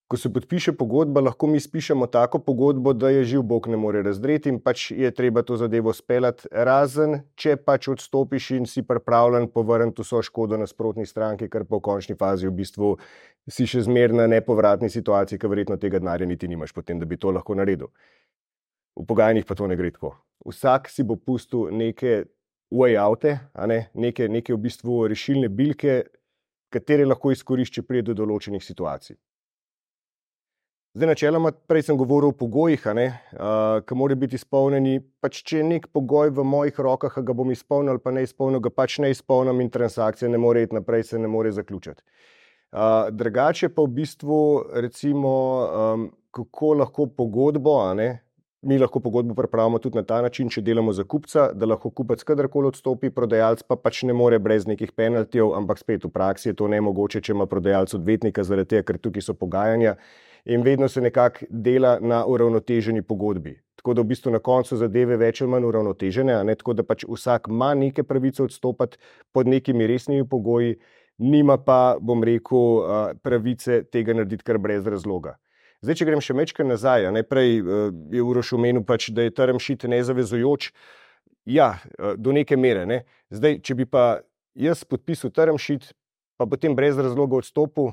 Ko se podpiše pogodba, lahko mi spišemo tako pogodbo, da je živ Bog ne more razdreti in pač je treba to zadevo speljati, razen če pač odstopiš in si pripravljen povrniti vso škodo nasprotni stranki, kar pa v končni fazi v bistvu si še zmeraj na nepovratni situaciji, ker verjetno tega denarja niti nimaš potem, da bi to lahko naredil. V pogajanjih pa to ne gre tako. Vsak si bo pustil neke way-oute, neke v bistvu rešilne bilke, katere lahko izkorišči prije do določenih situacij. Zdaj, načeloma, prej sem govoril o pogojih, ki morajo biti izpolnjeni, pač če je nek pogoj v mojih rokah, ga bom izpolnil ali pa ne izpolnil, ga pač ne izpolnim in transakcija ne more iti naprej, se ne more zaključiti. Drugače pa v bistvu, recimo, kako lahko pogodbo, mi lahko pogodbo pripravimo tudi na ta način, če delamo za kupca, da lahko kupec kadarkoli odstopi, prodajalec pa pač ne more brez nekih penaltijev, ampak spet v praksi je to nemogoče, če ima prodajalec odvetnika, zaradi tega, ker tukaj so pogajanja. In vedno se nekako dela na uravnoteženi pogodbi. Tako da v bistvu na koncu zadeve več ali manj uravnotežene, tako da pač vsak ima neke pravice odstopati pod nekimi resnimi pogoji, nima pa, bom rekel, pravice tega narediti kar brez razloga. Zdaj, če grem še mečkaj nazaj, prej je Uroš omenil pač, da je term sheet nezavezujoč. Ja, do neke mere. Zdaj, če bi pa jaz podpisal term sheet, pa potem brez razloga odstopil,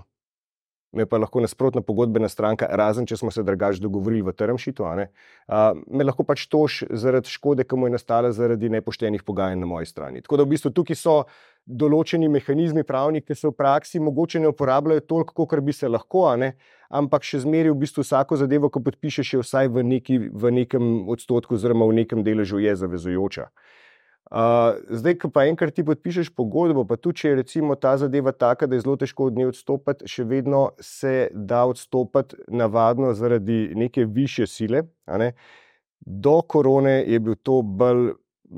me pa lahko nasprotna pogodbena stranka, razen če smo se drugače dogovorili v term sheetu, me lahko pač toži zaradi škode, ki mu je nastala zaradi nepoštenih pogajanj na moji strani. Tako da v bistvu tukaj so določeni mehanizmi pravni, ki se v praksi mogoče ne uporabljajo toliko, kot bi se lahko, ampak še zmeraj v bistvu vsako zadevo, ko podpišeš, je vsaj v nekem odstotku oziroma v nekem deležu je zavezujoča. Zdaj, ko pa enkrat ti podpišeš pogodbo, pa tudi če je recimo ta zadeva taka, da je zelo težko od nje odstopiti, še vedno se da odstopiti navadno zaradi neke višje sile. Do korone je bil to bolj,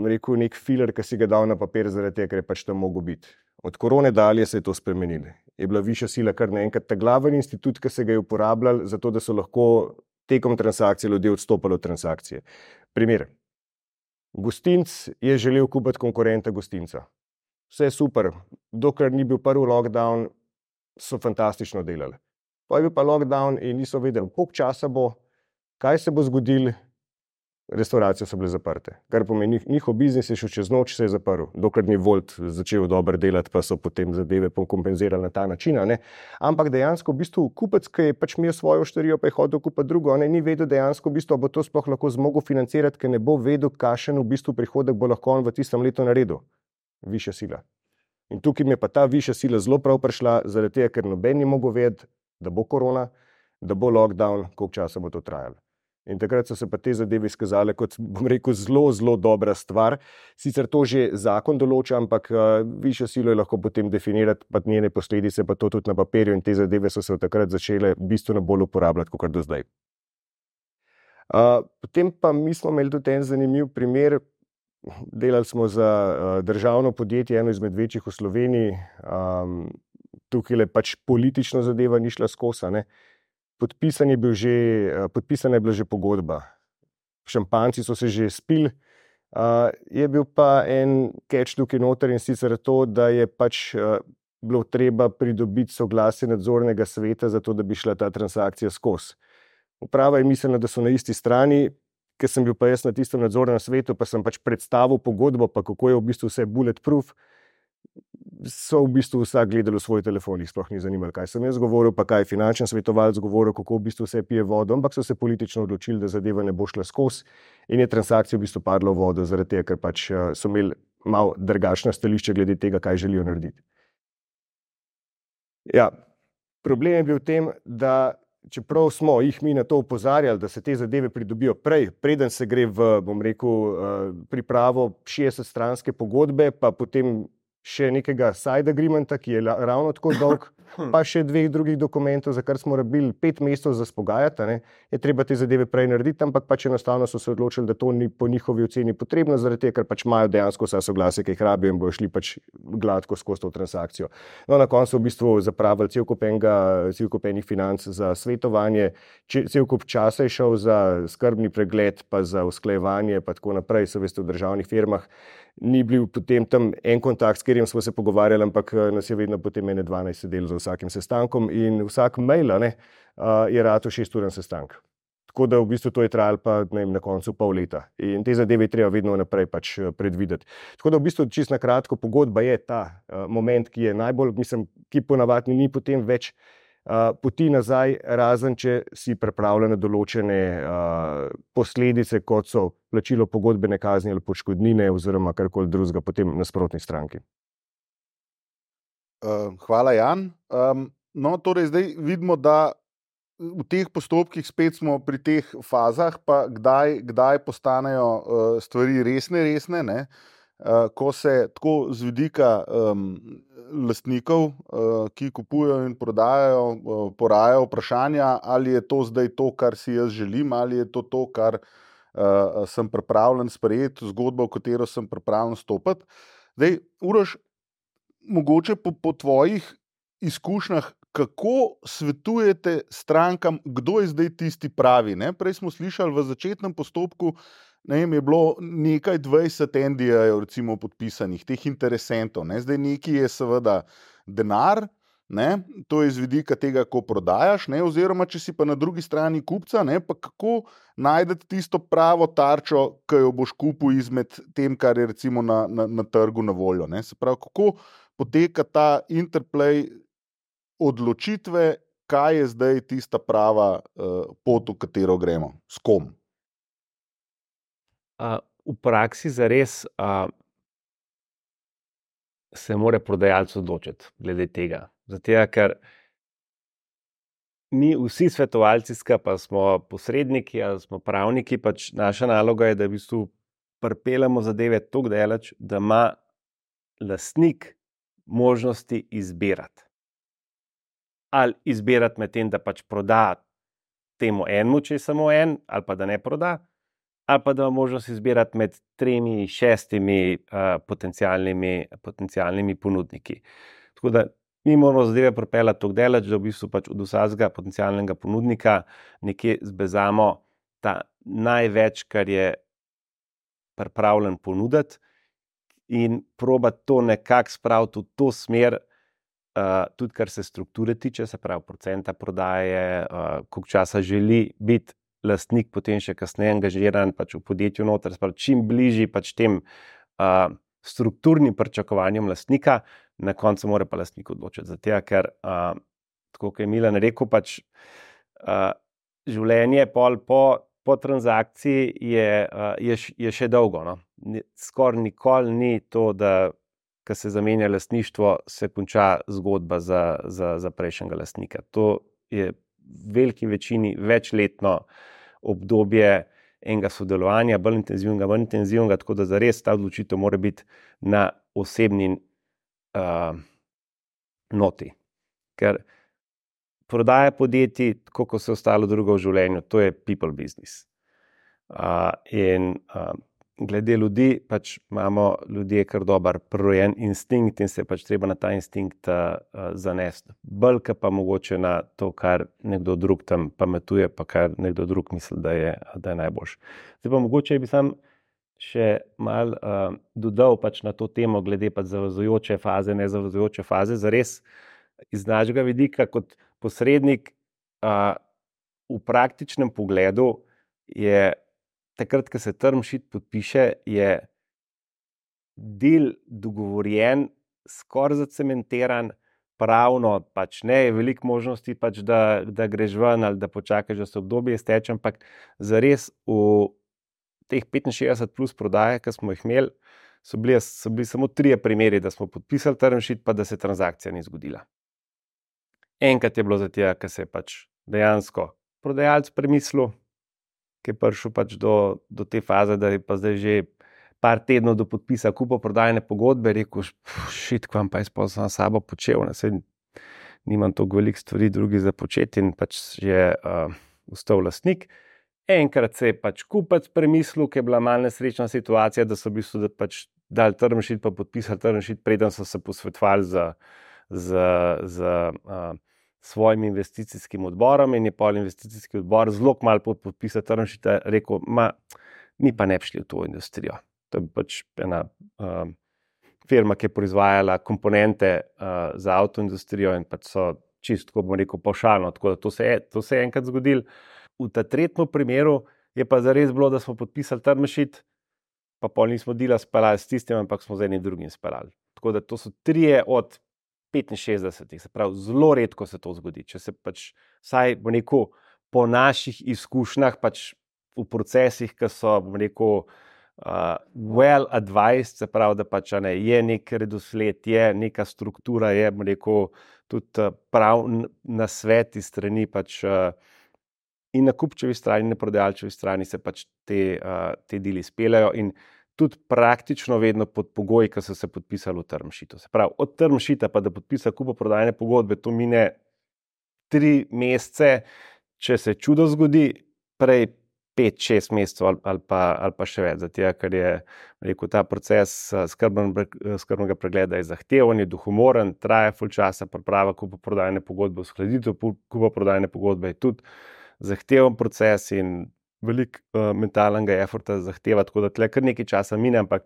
rekel, nek filer, ki si ga dal na papir zaradi tega, ker je pač tam mogel biti. Od korone dalje se je to spremenilo. Je bila višja sila kar naenkrat ta glaven institut, ki se ga je uporabljal, zato da so lahko tekom transakcije ljudje odstopali od transakcije. Primer. Gostinc je želel kupiti konkurenta gostinca. Vse super, dokler ni bil prvi lockdown, so fantastično delali. Pa je bil pa lockdown in niso vedeli, koliko časa bo, kaj se bo zgodilo, restauracije so bile zaprte. Kar pomeni, njihov biznis je šel čez noč, se je zaprl, dokler ni Volt začel dobro delati, pa so potem zadeve kompenzirali na ta način. Ampak dejansko v bistvu kupec, ki je pač imel svojo oštarijo, pa je hodil kupiti drugo, ni vedel dejansko v bistvu, bo to sploh lahko zmogel financirati, ker ne bo vedel, kakšen v bistvu prihodek bo lahko on v tistem letu naredil. Višja sila. In tukaj mi je pa ta višja sila zelo prav prišla, zaradi tega, ker noben ni mogel vedeti, da bo korona, da bo lockdown, koliko časa bo to trajalo. In takrat so se pa te zadeve izkazale kot, bom rekel, zelo, zelo dobra stvar. Sicer to že zakon določa, ampak višjo silo je lahko potem definirati, pa njene posledice, pa to tudi na papirju, in te zadeve so se od takrat začele bistveno bolj uporabljati, kot do zdaj. Potem pa mi smo imeli tudi en zanimiv primer. Delali smo za državno podjetje, eno izmed večjih v Sloveniji. Tukaj je pač politično zadeva ni šla skozi, Podpisana je bila že pogodba. Šampanjci so se že spili. Je bil pa en catch tukaj noter, in sicer to, da je pač bilo treba pridobiti soglasje nadzornega sveta, zato da bi šla ta transakcija skozi. Uprava je mislila, da so na isti strani, ker sem bil pa jaz na tistem nadzornem svetu, pa sem pač predstavil pogodbo, pa kako je v bistvu vse bulletproof. So v bistvu vsak gledali v svoj telefon, jih sploh ni zanimalo, kaj sem jaz govoril, pa kaj finančni svetovalec govoril, kako v bistvu vse pije vodo, ampak so se politično odločili, da zadeva ne bo šla skozi, in je transakcija v bistvu padla v vodo, zaradi tega, ker pač so imeli malo drugačna stališča glede tega, kaj želijo narediti. Ja, problem je bil v tem, da čeprav smo jih mi na to opozarjali, da se te zadeve pridobijo prej, preden se gre v, bom rekel, pripravo 60-stranske pogodbe, pa potem še nekega side agreementa, ki je ravno tako dolg, pa še 2 drugih dokumentov, za kar smo rabili 5 mesecev za spogajati, je treba te zadeve prej narediti, ampak pač enostavno so se odločili, da to ni po njihovi oceni potrebno, zaradi tega, ker pač imajo dejansko vsa soglasja, ki jih rabijo, in bojo šli pač gladko skozi to transakcijo. No, na koncu v bistvu zapravili cel kup enih financ za svetovanje, cel kup časa je šel za skrbni pregled, pa za usklajevanje, pa tako naprej, so veste v državnih firmah. Ni bil potem tam en kontakt, s katerim smo se pogovarjali, ampak nas je vedno potem 12 sedeli za vsakim sestankom, in vsak mail je ratal 6-uren sestank. Tako da v bistvu to je trajalo pa na koncu pol leta. In te zadeve je treba vedno naprej pač predvideti. Tako da v bistvu čisto na kratko, pogodba je ta moment, ki je najbolj, ki ponavadi ni potem več poti nazaj, razen če si pripravljen na določene posledice, kot so plačilo pogodbene kazni ali odškodnine oziroma karkoli drugega potem nasprotni stranki.
Hvala, Jan. No, torej zdaj vidimo, da v teh postopkih spet smo pri teh fazah, pa kdaj postanejo stvari resne, ne? Ko se tako z vidika lastnikov, ki kupujejo in prodajajo, porajajo vprašanja, ali je to zdaj to, kar si jaz želim, ali je to, kar sem pripravljen sprejeti, zgodba, v katero sem pripravljen stopiti. Zdaj, Uroš, mogoče po tvojih izkušnjah, kako svetujete strankam, kdo je zdaj tisti pravi, ne? Prej smo slišali v začetnem postopku, je bilo nekaj 20 NDA-jev recimo podpisanih, teh interesentov, ne? Zdaj neki je seveda denar, ne? To je z vidika tega, ko prodajaš, ne? Oziroma če si pa na drugi strani kupca, ne? Pa kako najdete tisto pravo tarčo, ki jo boš kupil izmed tem, kar je recimo na trgu na voljo, ne? Se pravi, kako poteka ta interplay odločitve kaj je zdaj tista prava pot, v katero gremo, s kom?
V praksi zares se mora prodajalec odločiti glede tega. Zato, ker mi vsi svetovalci skupaj smo posredniki ali smo pravniki, pač naša naloga je, da v bistvu pripeljemo zadeve toliko daleč, da ima lastnik možnosti izbirati. Ali izbirati med tem, da pač proda temu enemu, če je samo en, ali pa da ne proda, ali pa da ima možnost izbirati med 3, 6 potencialnimi ponudniki. Tako da mi moramo zadeve pripeljati toliko daleč, da v bistvu pač od vsakega potencialnega ponudnika nekje zbezamo ta največ, kar je pripravljen ponuditi, in probati to nekako spraviti v to smer, tudi kar se strukture tiče, se pravi procenta prodaje, koliko časa želi biti lastnik potem še kasneje angažiran pač v podjetju noter, se pravi čim bližji pač tem strukturnim pričakovanjem lastnika, na koncu mora pa lastnik odločiti. Zato, ker tako kot je Milan rekel, pač življenje pol po transakciji je še dolgo. No? Skoraj nikoli ni to, da ko se zamenja lastništvo, se konča zgodba za prejšnjega lastnika. To je v veliki večini večletno obdobje enega sodelovanja, bolj intenzivnega, tako da zares ta odločitev mora biti na osebni noti. Ker prodaja podjetij, tako kot se ostalo drugo v življenju, to je people business. Glede ljudi, pač imamo ljudje kar dober prirojen instinkt in se pač treba na ta instinkt zanesti. Bolj pa mogoče na to, kar nekdo drug tam pametuje, pa kar nekdo drug misli, da je najboljš. Zdaj pa mogoče bi sam še malo dodal pač na to temo glede pač zavezujoče faze, nezavezujoče faze. Zares iz našega vidika kot posrednik v praktičnem pogledu je takrat, ko se term sheet podpiše, je del dogovorjen, skoraj zacementiran, pravno pač ne, je veliko možnosti pač, da greš ven ali da počakaš, da se obdobje izteče, ampak zares v teh 65 plus prodaje, ki smo jih imeli, so bili samo 3 primeri, da smo podpisali term sheet, pa da se transakcija ni zgodila. Enkrat je bilo zato, ker se je pač dejansko prodajalec premislil, ki je prišel pač do te faze, da je pa zdaj že par tednov do podpisa kupoprodajne pogodbe, rekel, šit, kvam pa jaz pa sam sabo počel, nimam toliko veliko stvari drugi za početi, in pač je ostal lastnik. Enkrat se je pač kupec premislil, ki je bila malo nesrečna situacija, da so v bistvu pač dali term sheet pa podpisali term sheet, preden so se posvetovali z svojim investicijskim odborom, in je pol investicijski odbor zelo malo po podpisu term sheeta rekel, mi pa ne bi šli v to industrijo. To je pač ena firma, ki je proizvajala komponente za avtoindustrijo in pač so čisto, tako bom rekel, pavšalno, tako da to se je enkrat zgodilo. V ta tretjem primeru je pa zares bilo, da smo podpisali term sheet, pa pol nismo dila speljali s tistim, ampak smo z enim drugim speljali. Tako da to so 3 od 65, se pravi, zelo redko se to zgodi. Če se pač, vsaj bom rekel, po naših izkušnjah, pač v procesih, ki so, bom rekel, well advised, se pravi, da pač je nek redosled, je neka struktura, je, bom rekel, tudi prav nasvet iz strani pač in na kupčevi strani, in na prodajalčevi strani se pač te dili speljajo, in tudi praktično vedno pod pogoji, ki so se podpisali v term sheetu. Se pravi, od term sheeta pa da podpisa kupoprodajne pogodbe, to mine 3 mesece, če se čudo zgodi, prej 5-6 mesecev ali pa še več. Zato, ker je, rekel, ta proces skrbnega pregleda je zahteven, je duhomoren, traja ful časa, priprava kupoprodajne pogodbe, uskladitev kupoprodajne pogodbe je tudi zahteven proces in veliko mentalnega efforta zahteva, tako da tle kar nekaj časa mine, ampak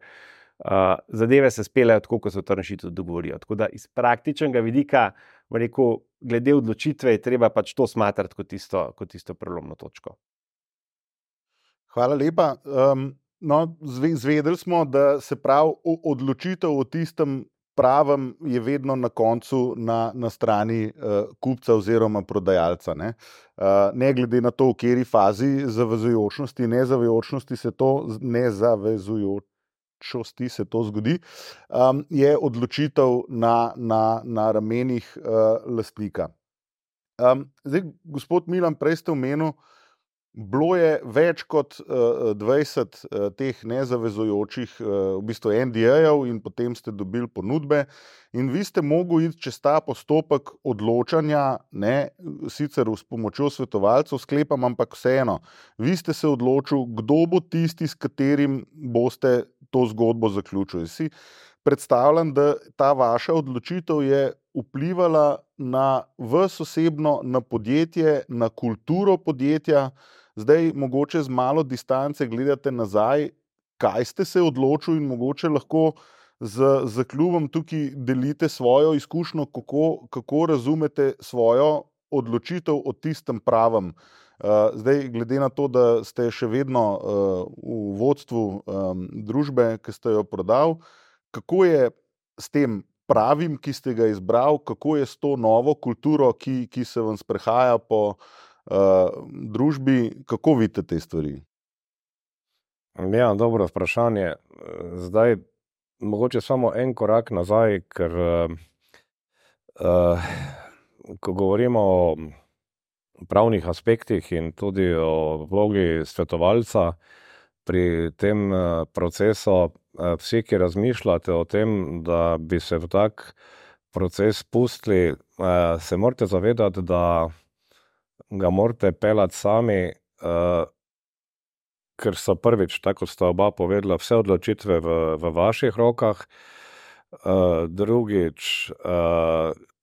zadeve se speljajo tako, kot se v term sheetu dogovorijo. Tako da iz praktičnega vidika, rekel, glede odločitve je treba pač to smatrati kot tisto prelomno točko.
Hvala lepa. Zvedeli smo, da se pravi odločitev o tistem pravem je vedno na koncu na strani kupca oziroma prodajalca. Ne glede na to, v kateri fazi zavezujočnosti, nezavezujočnosti se to zgodi, je odločitev na ramenih lastnika. Zdaj, gospod Milan, prej ste omenil, bilo je več kot 20 teh nezavezujočih v bistvu NDA-jev in potem ste dobili ponudbe in vi ste mogli iti čez ta postopek odločanja, sicer s pomočjo svetovalcev, sklepam, ampak vseeno. Vi ste se odločili, kdo bo tisti, s katerim boste to zgodbo zaključili. Si predstavljam, da ta vaša odločitev je vplivala na vas osebno, na podjetje, na kulturo podjetja. Zdaj, mogoče z malo distance gledate nazaj, kaj ste se odločili in mogoče lahko z klubom tukaj delite svojo izkušnjo, kako razumete svojo odločitev o tistem pravem. Zdaj, glede na to, da ste še vedno v vodstvu družbe, ki ste jo prodali, kako je s tem pravim, ki ste ga izbrali, kako je s to novo kulturo, ki se vam sprehaja po družbi, kako vidite te stvari?
Ja, dobro vprašanje. Zdaj, mogoče samo en korak nazaj, ker ko govorimo o pravnih aspektih in tudi o vlogi svetovalca pri tem procesu, vsi, ki razmišljate o tem, da bi se v tak proces pustili, se morate zavedati, da ga morate peljati sami, ker so prvič, tako sta oba povedala, vse odločitve v vaših rokah. Drugič,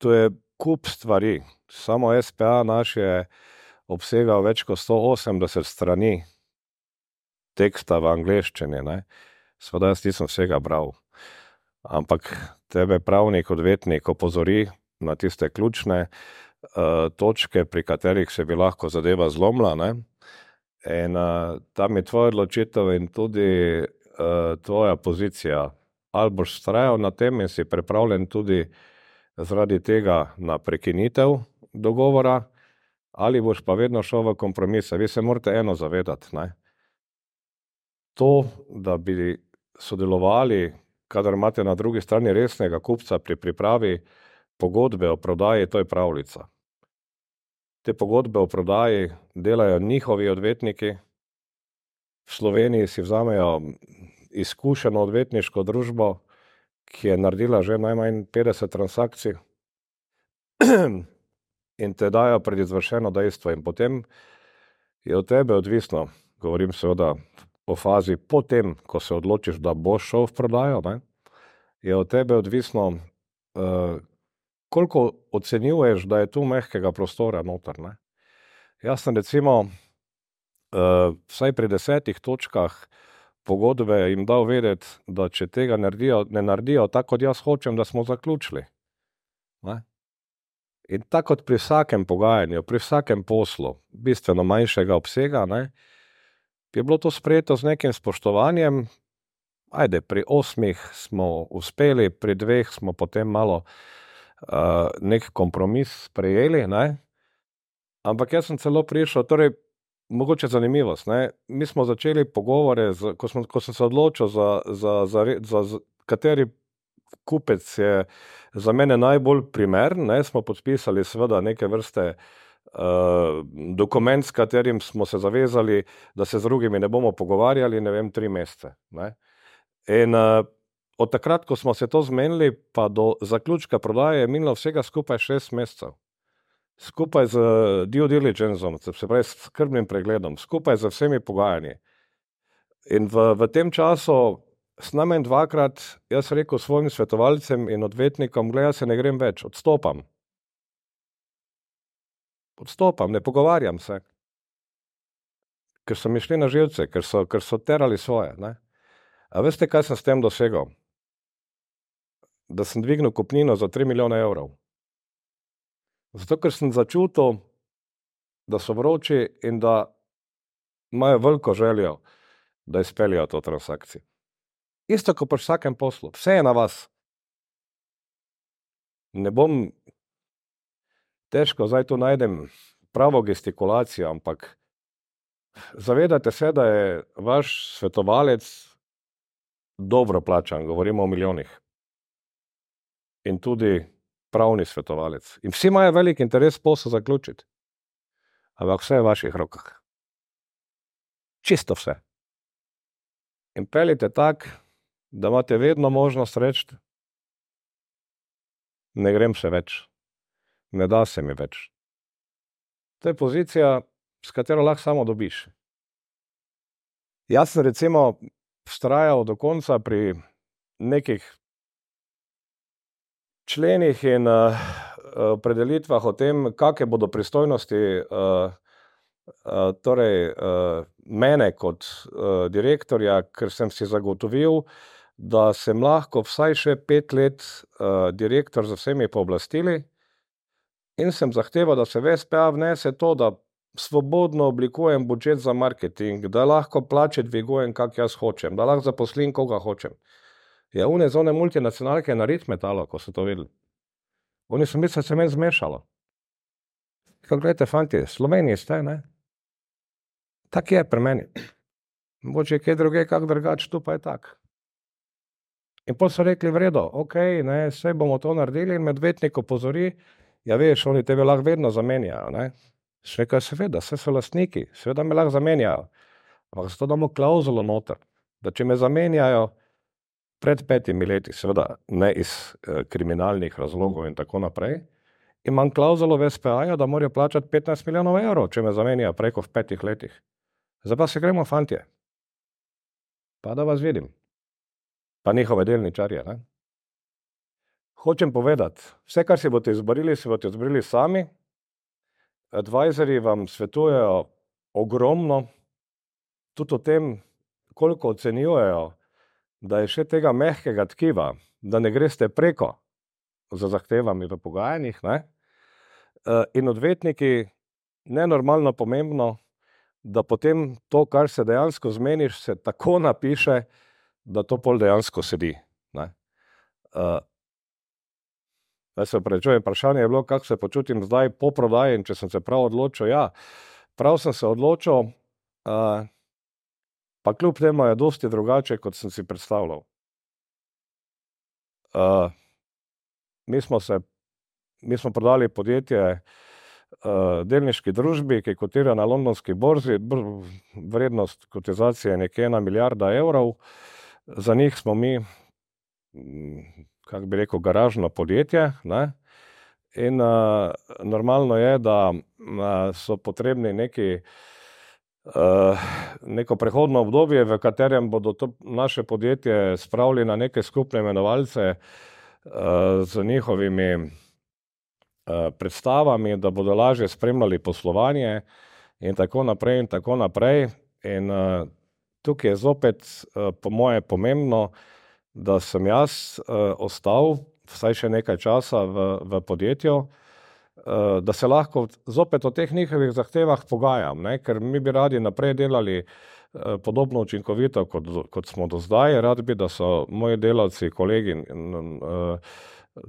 to je kup stvari. Samo SPA naš je obsegal več kot 180 strani teksta v angleščini. Seveda jaz nisem vsega bral. Ampak tebe pravnik, odvetnik opozori na tiste ključne točke, pri katerih se bi lahko zadeva zlomila. In tam je tvoja odločitev in tudi tvoja pozicija. Ali boš vztrajal na tem in si pripravljen tudi zaradi tega na prekinitev dogovora, ali boš pa vedno šel v kompromise. Vi se morate eno zavedati. To, da bi sodelovali, kadar imate na drugi strani resnega kupca pri pripravi pogodbe o prodaji, to je pravljica. Te pogodbe o prodaji delajo njihovi odvetniki. V Sloveniji si vzamejo izkušeno odvetniško družbo, ki je naredila že najmanj 50 transakcij in te dajo pred izvršeno dejstvo. In potem je od tebe odvisno, govorim seveda o fazi potem, ko se odločiš, da boš šel v prodajo, je od tebe odvisno, koliko ocenjuješ, da je tu mehkega prostora noter. Jaz sem recimo vsaj pri 10 točkah pogodbe jim dal vedeti, da če tega ne naredijo tako, kot jaz hočem, da smo zaključili. In tako kot pri vsakem pogajanju, pri vsakem poslu, bistveno manjšega obsega, je bilo to sprejeto z nekim spoštovanjem. Pri 8 smo uspeli, pri 2 smo potem malo nek kompromis sprejeli, ampak jaz sem celo prišel, torej mogoče zanimivost, mi smo začeli pogovore, ko sem se odločil za kateri kupec je za mene najbolj primeren, smo podpisali seveda neke vrste dokument, s katerim smo se zavezali, da se z drugimi ne bomo pogovarjali, 3 mesece. In od takrat, ko smo se to zmenili, pa do zaključka prodaje je minilo vsega skupaj 6 mesecev. Skupaj z due diligencem, se pravi s skrbnim pregledom, skupaj z vsemi pogajanji. In v tem času s najmanj 2-krat jaz rekel svojim svetovalcem in odvetnikom, jaz se ne grem več, odstopam. Odstopam, ne pogovarjam se. Ker so mi šli na živce, ker so terali svoje. A veste, kaj sem s tem dosegel? Da sem dvignil kupnino za 3 milijone evrov. Zato, ker sem začutil, da so vroči in da imajo veliko željo, da izpeljajo to transakcijo. Isto kot pri vsakem poslu. Vse je na vas. ne bom, težko zdaj tu najdem pravo gestikulacijo, ampak zavedate se, da je vaš svetovalec dobro plačan, govorimo o milijonih. In tudi pravni svetovalec. In vsi imajo velik interes posel zaključiti. Ampak vse je v vaših rokah. Čisto vse. In peljite tak, da imate vedno možnost reči, ne grem se več, ne da se mi več. To je pozicija, s katero lahko samo dobiš. Jaz sem recimo vztrajal do konca pri nekih členih in opredelitvah o tem, kakšne bodo pristojnosti mene kot direktorja, ker sem si zagotovil, da sem lahko vsaj še 5 let direktor z vsemi pooblastili in sem zahteval, da se v SPA vnese to, da svobodno oblikujem budžet za marketing, da lahko plače dvigujem, kak jaz hočem, da lahko zaposlim, koga hočem. Ja, one zone multinacionalke na Ritmetalo, ko so to vedeli. Oni so mislili, da se meni zmešalo. Kako gledajte, fanti, Sloveniji ste, ne? Tak je pri meni. Mogoče je kaj druge, kak drugač, tu pa je tak. In potem so rekli, v redu, okej, ne, vse bomo to naredili in medvetnik opozori, ja veš, oni tebe lahko vedno zamenjajo, ne? Še nekaj seveda, vse so lastniki, seveda me lahko zamenjajo. Ampak zato damo klauzulo noter, da če me zamenjajo pred 5 leti, seveda ne iz kriminalnih razlogov in tako naprej, imam klauzulo v SPA-ju, da morajo plačati 15 milijonov evrov, če me zamenjajo preko v 5 letih. Zdaj pa se gremo, fantje. Pa da vas vidim. Pa njihove delničarje, ne? Hočem povedati, vse, kar si boste izborili sami, advisorji vam svetujejo ogromno, tudi o tem, koliko ocenjujejo, da je še tega mehkega tkiva, da ne greste preko za zahtevami v pogajanjih, ne? In odvetniki, nenormalno pomembno, da potem to, kar se dejansko zmeniš, se tako napiše, da to pol dejansko sedi, ne? Da se opravičujem, vprašanje je bilo, kako se počutim zdaj po prodaji in če sem se prav odločil. Ja, prav sem se odločil, pa kljub temu je dosti drugače, kot sem si predstavljal. Mi smo prodali podjetje delniški družbi, ki kotira na londonski borzi, vrednost kotizacije je nekje 1 milijarda evrov. Za njih smo mi, kako bi rekel, garažno podjetje, ne? In normalno je, da so potrebni neko prehodno obdobje, v katerem bodo to naše podjetje spravili na neke skupne imenovalce z njihovimi predstavami, da bodo lažje spremljali poslovanje in tako naprej in tako naprej. In tukaj je zopet po moje pomembno, da sem jaz ostal vsaj še nekaj časa v podjetju, da se lahko zopet o teh njihovih zahtevah pogajam, ne? Ker mi bi radi naprej delali podobno učinkovito, kot smo do zdaj. Rad bi, da so moji delavci, kolegi,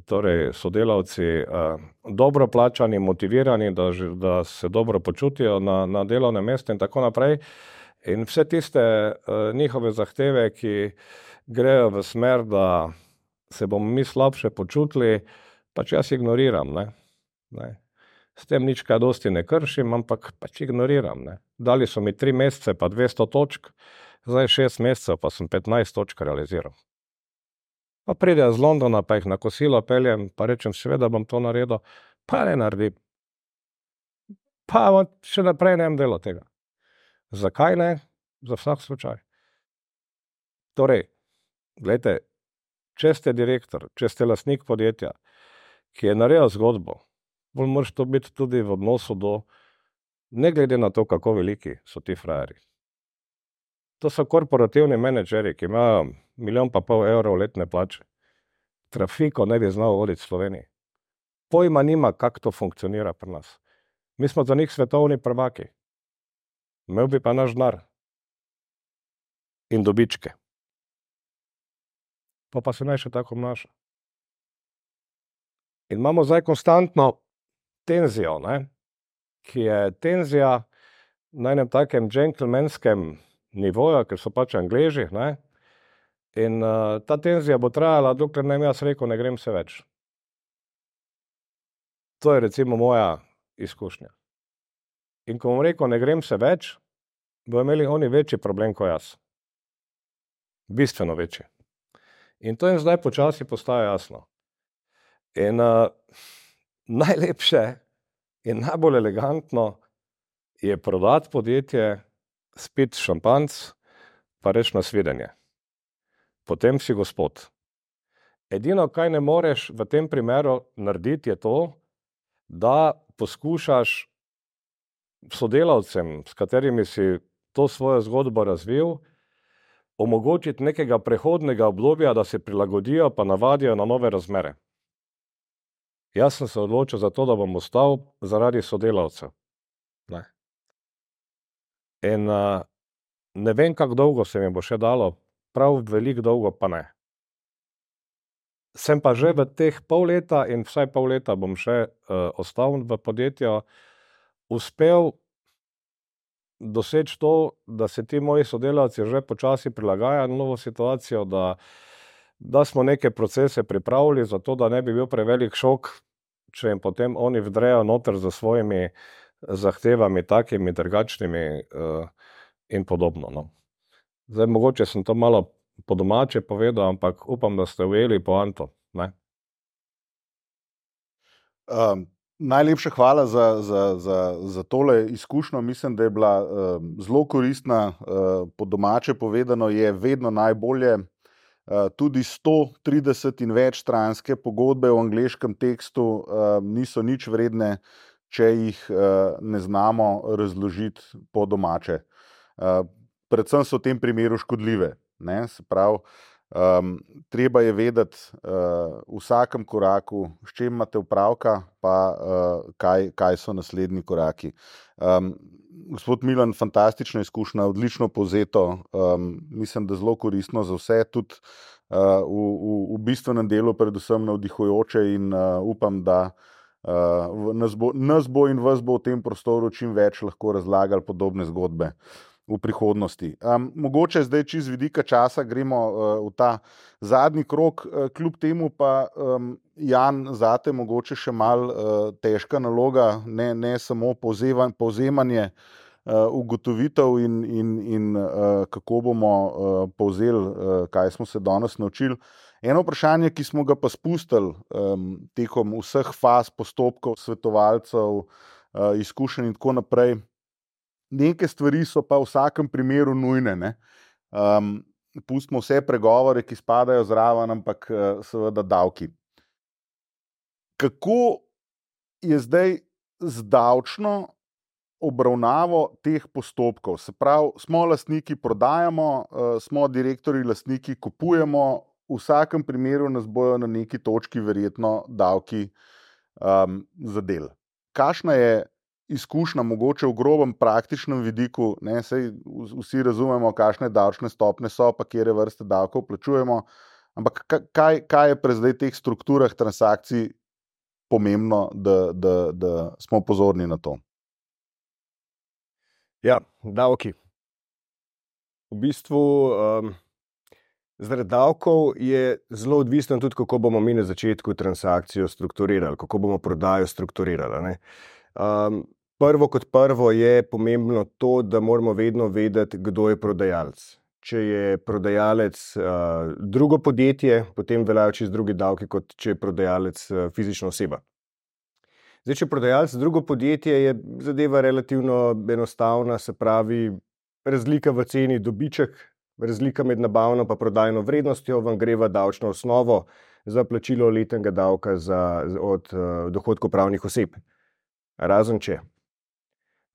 torej sodelavci dobro plačani, motivirani, da se dobro počutijo na delovnem mestu in tako naprej. In vse tiste njihove zahteve, ki grejo v smer, da se bomo mi slabše počutili, pač jaz ignoriram, ne? S tem nič kaj dosti ne kršim, ampak pač ignoriram, ne? Dali so mi 3 mesece pa 200 točk, zdaj 6 mesecev pa sem 15 točk realiziral. Pa pridejo z Londona, pa jih na kosilo peljem, pa rečem, seveda bom to naredil, pa ne naredim. Pa še naprej ne bom delal tega. Zakaj ne? Za vsak slučaj. Torej, glejte, če ste direktor, če ste lastnik podjetja, ki je naredil zgodbo, bolj moraš to biti tudi v odnosu do, ne glede na to, kako veliki so ti frajerji. To so korporativni menedžeri, ki imajo 1,5 milijona evrov letne plače. Trafiko ne bi znal voditi v Sloveniji. Pojma nima, kako to funkcionira pri nas. Mi smo za njih svetovni prvaki. Imel bi pa naš denar in dobičke. Pa se naj še tako obnaša. In imamo zdaj konstantno tenzijo, ne? Ki je tenzija na enem takem džentlmenskem nivoju, ker so pač Angleži, ne? In ta tenzija bo trajala, dokler ne bom jaz rekel, ne grem se več. To je recimo moja izkušnja. In ko bom rekel, ne grem se več, bodo imeli oni večji problem kot jaz. Bistveno večji. In to jim zdaj počasi postaja jasno. In najlepše in najbolj elegantno je prodati podjetje, spiti šampanjc, pa reči nasvidenje. Potem si gospod. Edino, kaj ne moreš v tem primeru narediti, je to, da poskušaš sodelavcem, s katerimi si to svojo zgodbo razvil, omogočiti nekega prehodnega obdobja, da se prilagodijo pa navadijo na nove razmere. Jaz sem se odločil za to, da bom ostal zaradi sodelavcev. Ne. In ne vem, kako dolgo se mi bo še dalo, prav veliko dolgo pa ne. Sem pa že v teh pol leta in vsaj pol leta bom še ostal v podjetju, uspel doseči to, da se ti moji sodelavci že počasi prilagajajo na novo situacijo, da smo neke procese pripravili, zato da ne bi bil prevelik šok, če jim potem oni vdrejo noter za svojimi zahtevami, takimi, drugačnimi in podobno. No. Zdaj, mogoče sem to malo po domače povedal, ampak upam, da ste ujeli poanto. Ne?
Najlepša hvala za tole izkušnjo. Mislim, da je bila zelo koristna. Po domače povedano je vedno najbolje. Tudi 130 in več stranske pogodbe v angleškem tekstu niso nič vredne, če jih ne znamo razložiti po domače. Predvsem so v tem primeru škodljive. Ne? Se pravi, treba je vedeti v vsakem koraku, s čim imate opravka, pa kaj so naslednji koraki. Gospod Milan, fantastična izkušnja, odlično povzeto, mislim, da zelo koristno za vse, tudi v bistvenem delu predvsem navdihujoče in upam, da nas bo in vas bo v tem prostoru čim več lahko razlagali podobne zgodbe v prihodnosti. Mogoče zdaj čez vidika časa gremo v ta zadnji krog, kljub temu pa, Jan, zate mogoče še malo težka naloga, ne samo povzemanje ugotovitev in kako bomo povzeli, kaj smo se danes naučili. Eno vprašanje, ki smo ga pa spustili tekom vseh faz postopkov, svetovalcev, izkušenj in tako naprej, neke stvari so pa v vsakem primeru nujne. Ne? Pustimo vse pregovore, ki spadajo zraven, ampak seveda davki. Kako je zdaj z davčno obravnavo teh postopkov? Se pravi, smo lastniki, prodajamo, smo direktorji, lastniki, kupujemo, v vsakem primeru nas bojo na neki točki verjetno davki zadeli. Kakšna je izkušnja, mogoče v grobem praktičnem vidiku, ne, saj vsi razumemo, kakšne davčne stopnje so, pa katere vrste davkov plačujemo, ampak kaj je pri zdaj teh strukturah transakcij pomembno, da smo pozorni na to?
Ja, davki. V bistvu zaradi davkov je zelo odvisno tudi, kako bomo mi na začetku transakcijo strukturirali, kako bomo prodajo strukturirali. Ne? Prvo kot prvo je pomembno to, da moramo vedno vedeti, kdo je prodajalec. Če je prodajalec drugo podjetje, potem veljajo čisto drugi davki, kot če je prodajalec fizična oseba. Zdaj, če je prodajalec drugo podjetje, je zadeva relativno enostavna, se pravi, razlika v ceni dobiček, razlika med nabavno pa prodajno vrednostjo vam gre v davčno osnovo za plačilo letnega davka od dohodkov pravnih oseb. Razen če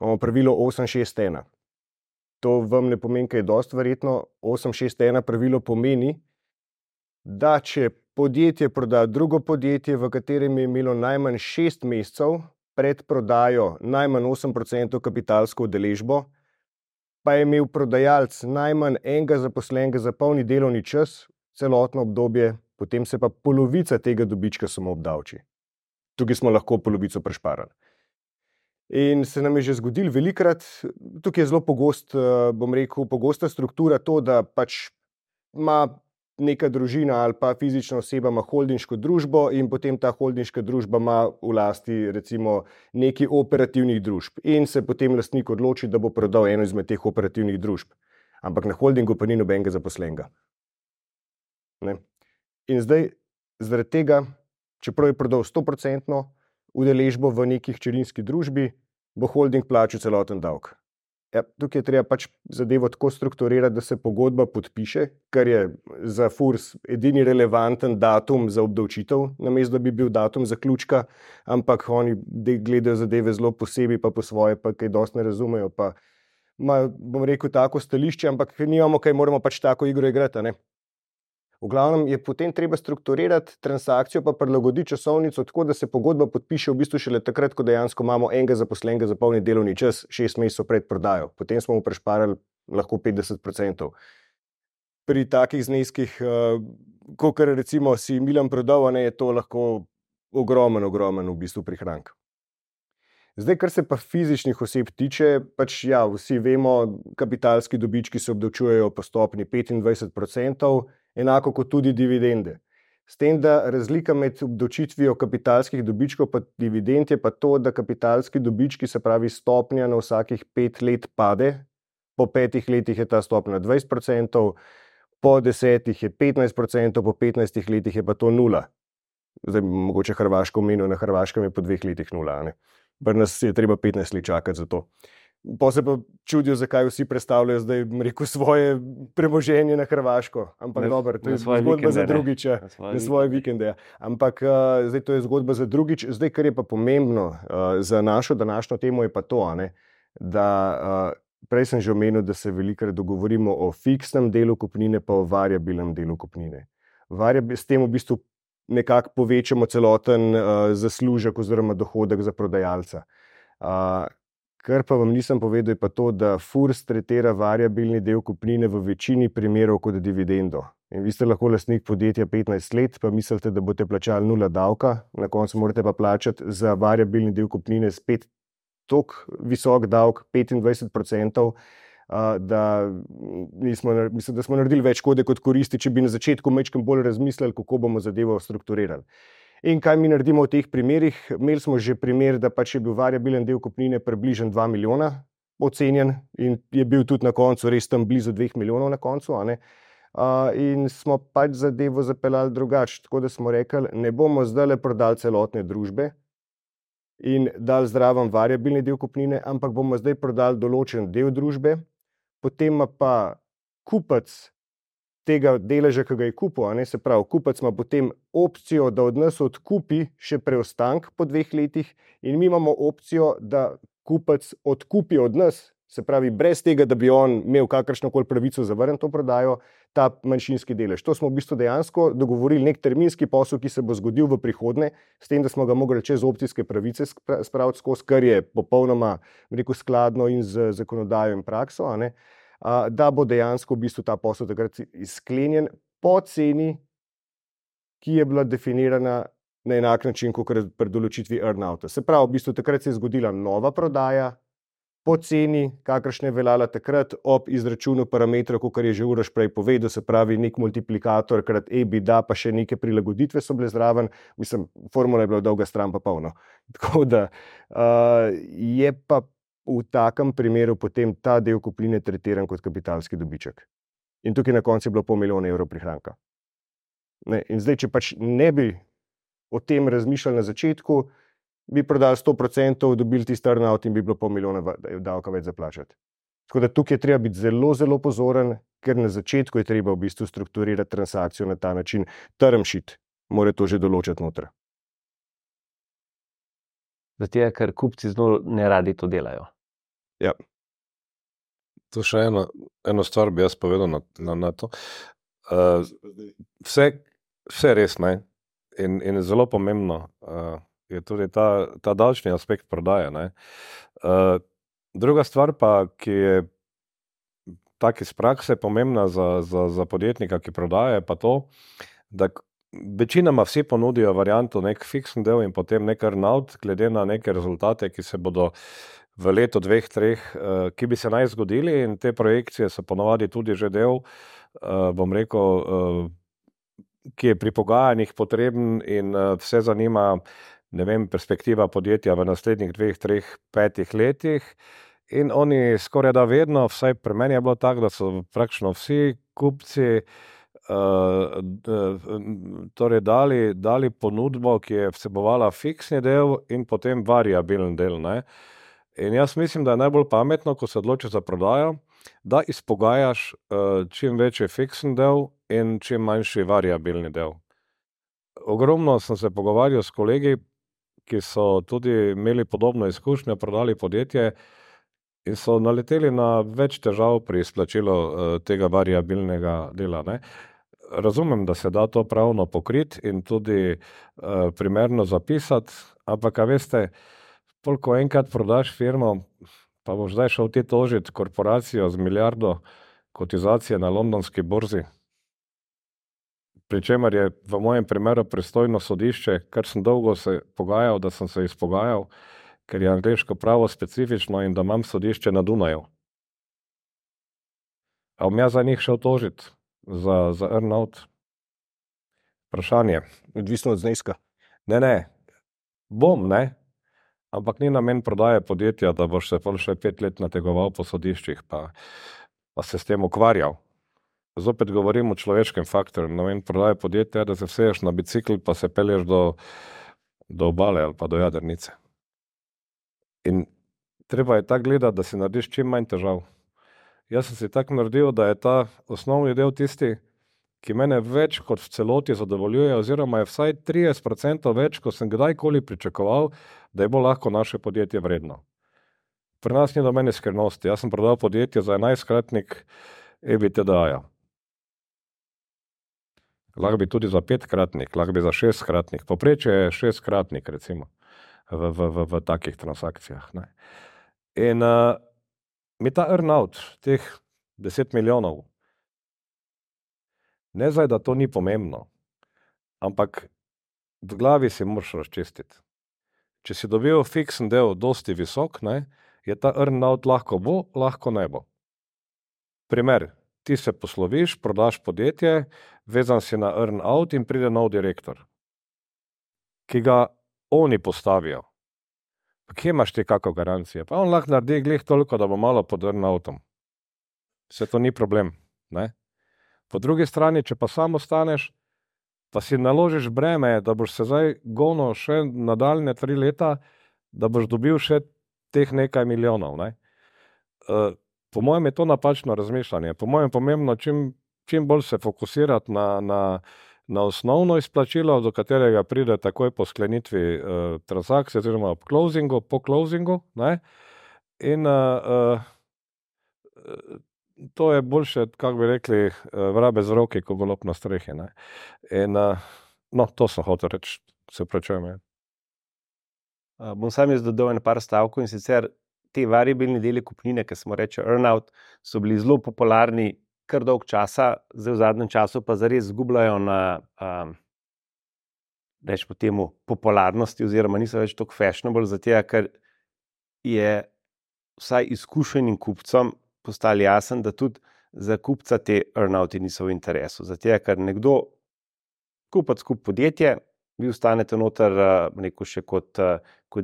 imamo pravilo 861. To vam ne pomeni, kaj je dosti verjetno. 861 pravilo pomeni, da če podjetje proda drugo podjetje, v katerem je imelo najmanj 6 mesecev pred prodajo najmanj 8% kapitalsko udeležbo, pa je imel prodajalec najmanj enega zaposlenega za polni delovni čas, celotno obdobje, potem se pa polovica tega dobička samo obdavči. tukaj smo lahko polovico prešparali. In se nam je že zgodilo velikrat, tukaj je zelo pogosta struktura to, da pač ima neka družina ali pa fizična oseba ima holdinško družbo in potem ta holdinška družba ima v lasti recimo neki operativnih družb in se potem lastnik odloči, da bo prodal eno izmed teh operativnih družb. Ampak na holdingu pa ni nobenega zaposlenega. Ne? In zdaj, zaradi tega, čeprav je prodal 100% udeležbo v neki hčerinski družbi, bo holding plačal celoten davek. Ja, tukaj je treba pač zadevo tako strukturirati, da se pogodba podpiše, kar je za FURS edini relevanten datum za obdavčitev, namesto da bi bil datum zaključka, ampak oni gledajo zadeve zelo posebej, pa po svoje, pa kaj dosti ne razumejo, pa imajo, bom rekel, tako stališče, ampak nimamo kaj, moramo pač tako igro igrati, ne? V glavnem je potem treba strukturirati transakcijo pa prilagoditi časovnico tako, da se pogodba podpiše v bistvu šele takrat, ko dejansko imamo enega zaposlenega za polni delovni čas 6 mesecev pred prodajo. Potem smo mu prešparali lahko 50%. Pri takih zneskih, kakor recimo si Milan prodal, je to lahko ogromen v bistvu prihranek. Zdaj, kar se pa fizičnih oseb tiče, pač ja, vsi vemo, kapitalski dobički se obdavčujejo po stopnji 25%, enako kot tudi dividende. S tem, da razlika med obdavčitvijo kapitalskih dobičkov pa dividend je pa to, da kapitalski dobički, se pravi stopnja na vsakih 5 let pade, po 5 letih je ta stopnja 20%, po 10 je 15%, po 15 letih je pa to 0. Zdaj, mogoče Hrvaško omenil, na Hrvaškem je po 2 letih 0, ne? Pri nas je treba 15 let čakati za to. Pa se pa čudijo, zakaj vsi predstavljajo zdaj, rekel, svoje premoženje na Hrvaško. Ampak dobro, to je zgodba za drugič, na svoje vikende. Ampak zdaj to je zgodba za drugič. Zdaj, kar je pa pomembno za našo današnjo temo, je pa to, da prej sem že omenil, da se velikokrat dogovorimo o fiksnem delu kupnine pa o variabilnem delu kupnine. S tem v bistvu nekako povečamo celoten zaslužek oziroma dohodek za prodajalca. Kar pa vam nisem povedal, je pa to, da FURS tretira variabilni del kupnine v večini primerov kot dividendo. In vi ste lahko lastnik podjetja 15 let, pa mislite, da boste plačali 0 davka, na koncu morate pa plačati za variabilni del kupnine spet toliko visok davek, 25%, da mislim, da smo naredili več škode kot koristi, če bi na začetku majčkeno bolj razmislili, kako bomo zadevo strukturirali. In kaj mi naredimo v teh primerih? Imeli smo že primer, da pač je bil variabilen del kupnine približno 2 milijona ocenjen in je bil tudi na koncu res tam blizu 2 milijonov na koncu, in smo pač zadevo zapeljali drugače, tako da smo rekli, ne bomo zdajle prodali celotne družbe in dali zraven variabilni del kupnine, ampak bomo zdaj prodali določen del družbe, potem pa kupec tega deleža, ki ga je kupil, se pravi, kupec ima potem opcijo, da od nas odkupi še preostank po 2 letih in mi imamo opcijo, da kupec odkupi od nas, se pravi, brez tega, da bi on imel kakršnokoli pravico zavrniti to prodajo, ta manjšinski delež. To smo v bistvu dejansko dogovorili nek terminski posel, ki se bo zgodil v prihodnje, s tem, da smo ga mogli čez opcijske pravice spraviti skozi, kar je popolnoma, rekel, skladno in z zakonodajo in prakso, da bo dejansko v bistvu ta posel takrat sklenjen po ceni, ki je bila definirana na enak način, kot pri določitvi earn-outa. Se pravi, v bistvu takrat se je zgodila nova prodaja po ceni, kakršna je veljala takrat ob izračunu parametrov, kot je že Uroš prej povedal, se pravi nek multiplikator krat EBITDA, pa še neke prilagoditve so bile zraven. Mislim, formula je bila dolga stran pa polno. Tako da je pa v takem primeru potem ta del kupnine tretiran kot kapitalski dobiček. In tukaj na koncu je bilo 500 000 evrov prihranka. In zdaj, če pač ne bi o tem razmišljali na začetku, bi prodali 100%, dobili tisti earn-out in bi bilo 500 000 davka več zaplačati. Tako da tukaj je treba biti zelo, zelo pozoren, ker na začetku je treba v bistvu strukturirati transakcijo na ta način. Term sheet mora to že določati noter.
Zato, ker kupci zelo ne radi to delajo.
Ja.
To še eno stvar bi jaz povedal na to. Vse res, ne? In zelo pomembno je tudi ta davčni aspekt prodaje, ne? Druga stvar pa, ki je tak iz prakse pomembna za podjetnika, ki prodaja, je pa to, da večinoma vsi ponudijo varianto nek fiksen del in potem nek earn-out, glede na neke rezultate, ki se bodo v letu, 2, 3, ki bi se naj zgodili, in te projekcije so ponovadi tudi že del, bom rekel, ki je pri pogajanjih potreben in vse zanima, ne vem, perspektiva podjetja v naslednjih 2, 3, 5 letih. In oni skoraj da vedno, vsaj pri meni je bilo tako, da so praktično vsi kupci torej dali ponudbo, ki je vsebovala fiksni del in potem variabilen del, ne. In jaz mislim, da je najbolj pametno, ko se odločiš za prodajo, da izpogajaš čim večji fiksen del in čim manjši variabilni del. Ogromno sem se pogovarjal s kolegi, ki so tudi imeli podobno izkušnjo, prodali podjetje in so naleteli na več težav pri izplačilu tega variabilnega dela, ne. Razumem, da se da to pravno pokriti in tudi primerno zapisati, ampak, a veste, ko enkrat prodaš firmo, pa boš zdaj šel ti tožiti korporacijo z milijardo kotizacije na londonski borzi, pri čemer je v mojem primeru pristojno sodišče, kar sem dolgo se pogajal, da sem se izpogajal, ker je angleško pravo specifično in da imam sodišče na Dunaju. A bom jaz za njih šel tožiti za earn-out? Vprašanje.
Odvisno od zneska.
Ne. Bom, ne. Ampak ni namen prodaje podjetja, da boš se pol še 5 let nategoval po sodiščih, pa se s tem ukvarjal. Zopet govorim o človeškem faktorju. Namen prodaje podjetja je, da se vseješ na bicikl, pa se pelješ do obale ali pa do jadrnice. In treba je tako gledati, da si narediš čim manj težav. Jaz sem si tako naredil, da je ta osnovni del tisti, ki mene več kot v celoti zadovoljuje, oziroma je vsaj 30% več, ko sem kdajkoli pričakoval, da je bo lahko naše podjetje vredno. Pri nas ni do mene skrivnosti. Jaz sem prodal podjetje za 11-kratnik EBITDA-ja. Lahko bi tudi za 5-kratnik, lahko bi za 6-kratnik. Povprečje je 6-kratnik, recimo, v takih transakcijah, ne. In mi ta earn-out, teh 10 milijonov, ne zdaj, da to ni pomembno, ampak v glavi si moraš razčistiti. Če si dobil fiksen del dosti visok, ne, je ta earn-out lahko bo, lahko ne bo. Primer, ti se posloviš, prodaš podjetje, vezan si na earn-out in pride nov direktor, ki ga oni postavijo. Pa kje imaš ti kako garancije? Pa on lahko naredi glih toliko, da bo malo pod earn-outom. Vse to ni problem, ne. Po drugi strani, če pa samo ostaneš, pa si naložiš breme, da boš se zdaj gonil še nadaljnje 3 leta, da boš dobil še teh nekaj milijonov, ne. Po mojem je to napačno razmišljanje. Po mojem pomembno čim bolj se fokusirati na osnovno izplačilo, do katerega pride takoj po sklenitvi transakcije oziroma po closingu, ne. In to je boljše, kako bi rekli, vrabe z roki, ko golob na strehi, ne. In to sem hotel reči, se opravičujem.
Bom sam jaz dodal par stavkov, in sicer te variabilni deli kupnine, ki smo reče earn-out, so bili zelo popularni kar dolg časa, zdaj v zadnjem času pa zares zgubljajo na rečemo temu popularnosti, oziroma niso več toliko fashionable, zato ker je vsaj izkušenim kupcem postalo jasno, da tudi za kupca te earn-outi niso v interesu. Zato ker nekdo kupec kupi podjetje, vi ostanete noter, rekel še kot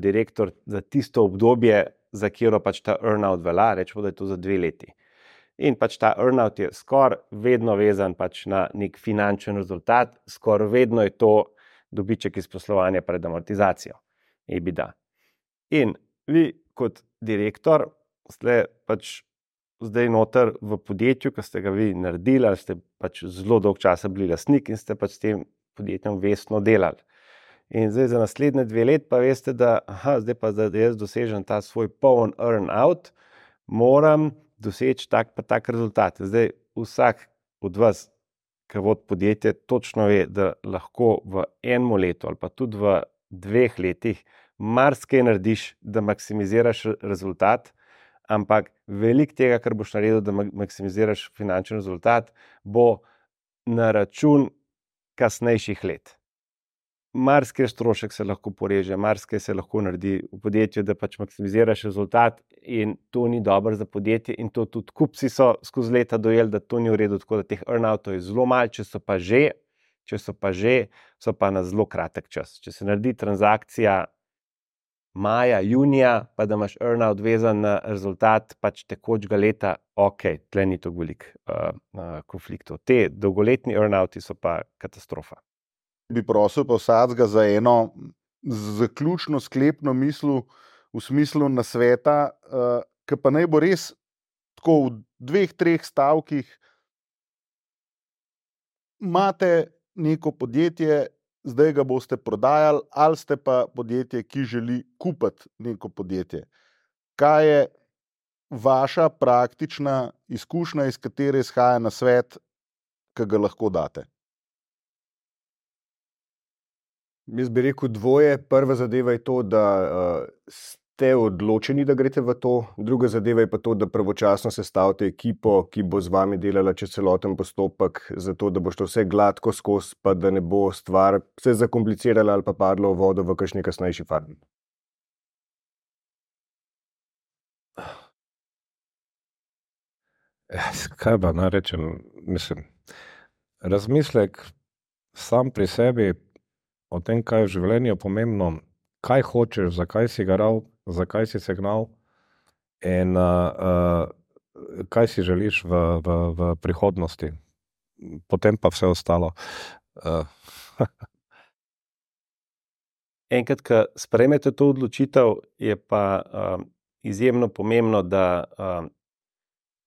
direktor za tisto obdobje, za katero pač ta earn-out velja, rečemo, da je to za 2 leti. In pač ta earn-out je skoraj vedno vezan pač na nek finančen rezultat, skoraj vedno je to dobiček iz poslovanja pred amortizacijo, EBITDA. In vi kot direktor ste pač zdaj noter v podjetju, ki ste ga vi naredili, ali ste pač zelo dolg časa bili lastnik in ste pač s tem podjetjem vestno delali. In zdaj za naslednje 2 let pa veste, da zdaj pa da jaz dosežem ta svoj poln earn-out, moram doseči tak pa tak rezultat. Zdaj vsak od vas, ki vodi podjetje, točno ve, da lahko v 1 letu ali pa tudi v 2 letih marsikaj narediš, da maksimiziraš rezultat, ampak veliko tega, kar boš naredil, da maksimiziraš finančni rezultat, bo na račun kasnejših let. Marsikaj strošek se lahko poreže, marsikaj se lahko naredi v podjetju, da pač maksimiziraš rezultat in to ni dobro za podjetje in to tudi kupci so skozi leta dojeli, da to ni v redu, tako da teh earnoutov je zelo malo, če so pa že, so pa na zelo kratek čas. Če se naredi transakcija maja, junija, pa da imaš earnout vezan na rezultat pač tekočega leta, tle ni tako veliko konfliktov. Te dolgoletni earnouti so pa katastrofa.
Bi prosil pa vsakega za eno zaključno sklepno misel v smislu nasveta, ki pa naj bo res tako v 2-3 stavkih. Imate neko podjetje, zdaj ga boste prodajali, ali ste pa podjetje, ki želi kupiti neko podjetje. Kaj je vaša praktična izkušnja, iz katere izhaja nasvet, ki ga lahko date?
Jaz bi rekel dvoje. Prva zadeva je to, da ste odločeni, da greste v to. Druga zadeva je pa to, da pravočasno sestavite ekipo, ki bo z vami delala čez celoten postopek, zato da bo šlo vse gladko skozi, pa da ne bo stvar se zakomplicirala ali pa padlo v vodo v kakšni kasnejši fazi.
Kaj pa naj rečem? Mislim, razmislek sam pri sebi o tem, kaj je v življenju pomembno, kaj hočeš, zakaj si garal, zakaj si se gnal in kaj si želiš v prihodnosti. Potem pa vse ostalo.
Enkrat, ko sprejmete to odločitev, je pa izjemno pomembno, da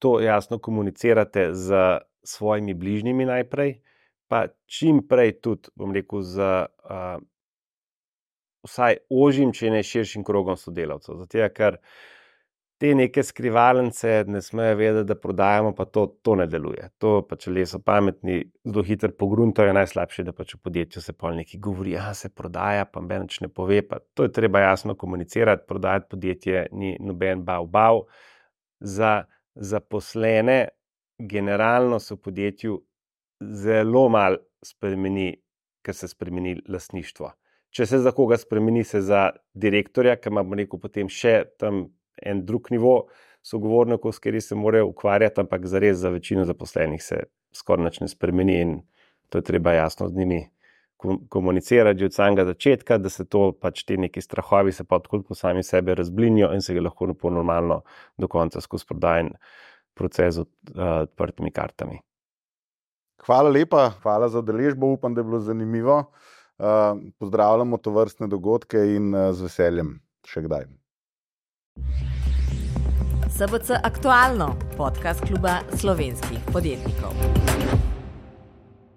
to jasno komunicirate z svojimi bližnjimi najprej, pa čim prej tudi, bom rekel, z vsaj ožjim, če ne širšim krogom sodelavcev. Zato, ker te neke skrivalnice ne smejo vedeti, da prodajamo, pa to ne deluje. To pa, če ljudje so pametni, zelo hitro pogruntajo, najslabše, da pač v podjetju se pol nekaj govori, se prodaja, pa noben nič ne pove, pa to je treba jasno komunicirati, prodajati podjetje ni noben bav. Za zaposlene generalno se v podjetju zelo malo spremeni, ker se spremeni lastništvo. Če se za koga spremeni, se za direktorja, ki ima, bom rekel, potem še tam en drug nivo sogovornikov, s kateri se morajo ukvarjati, ampak zares za večino zaposlenih se skoraj nič ne spremeni in to je treba jasno z njimi komunicirati že od samega začetka, da se to pač te neki strahovi se pa odkud po sami sebe razblinijo in se ga lahko normalno do konca skozi prodajen proces odprtimi kartami.
Hvala lepa, hvala za udeležbo, upam, da je bilo zanimivo. Pozdravljamo tovrstne dogodke in z veseljem še kdaj.
SBC Aktualno, podcast kluba slovenskih podjetnikov.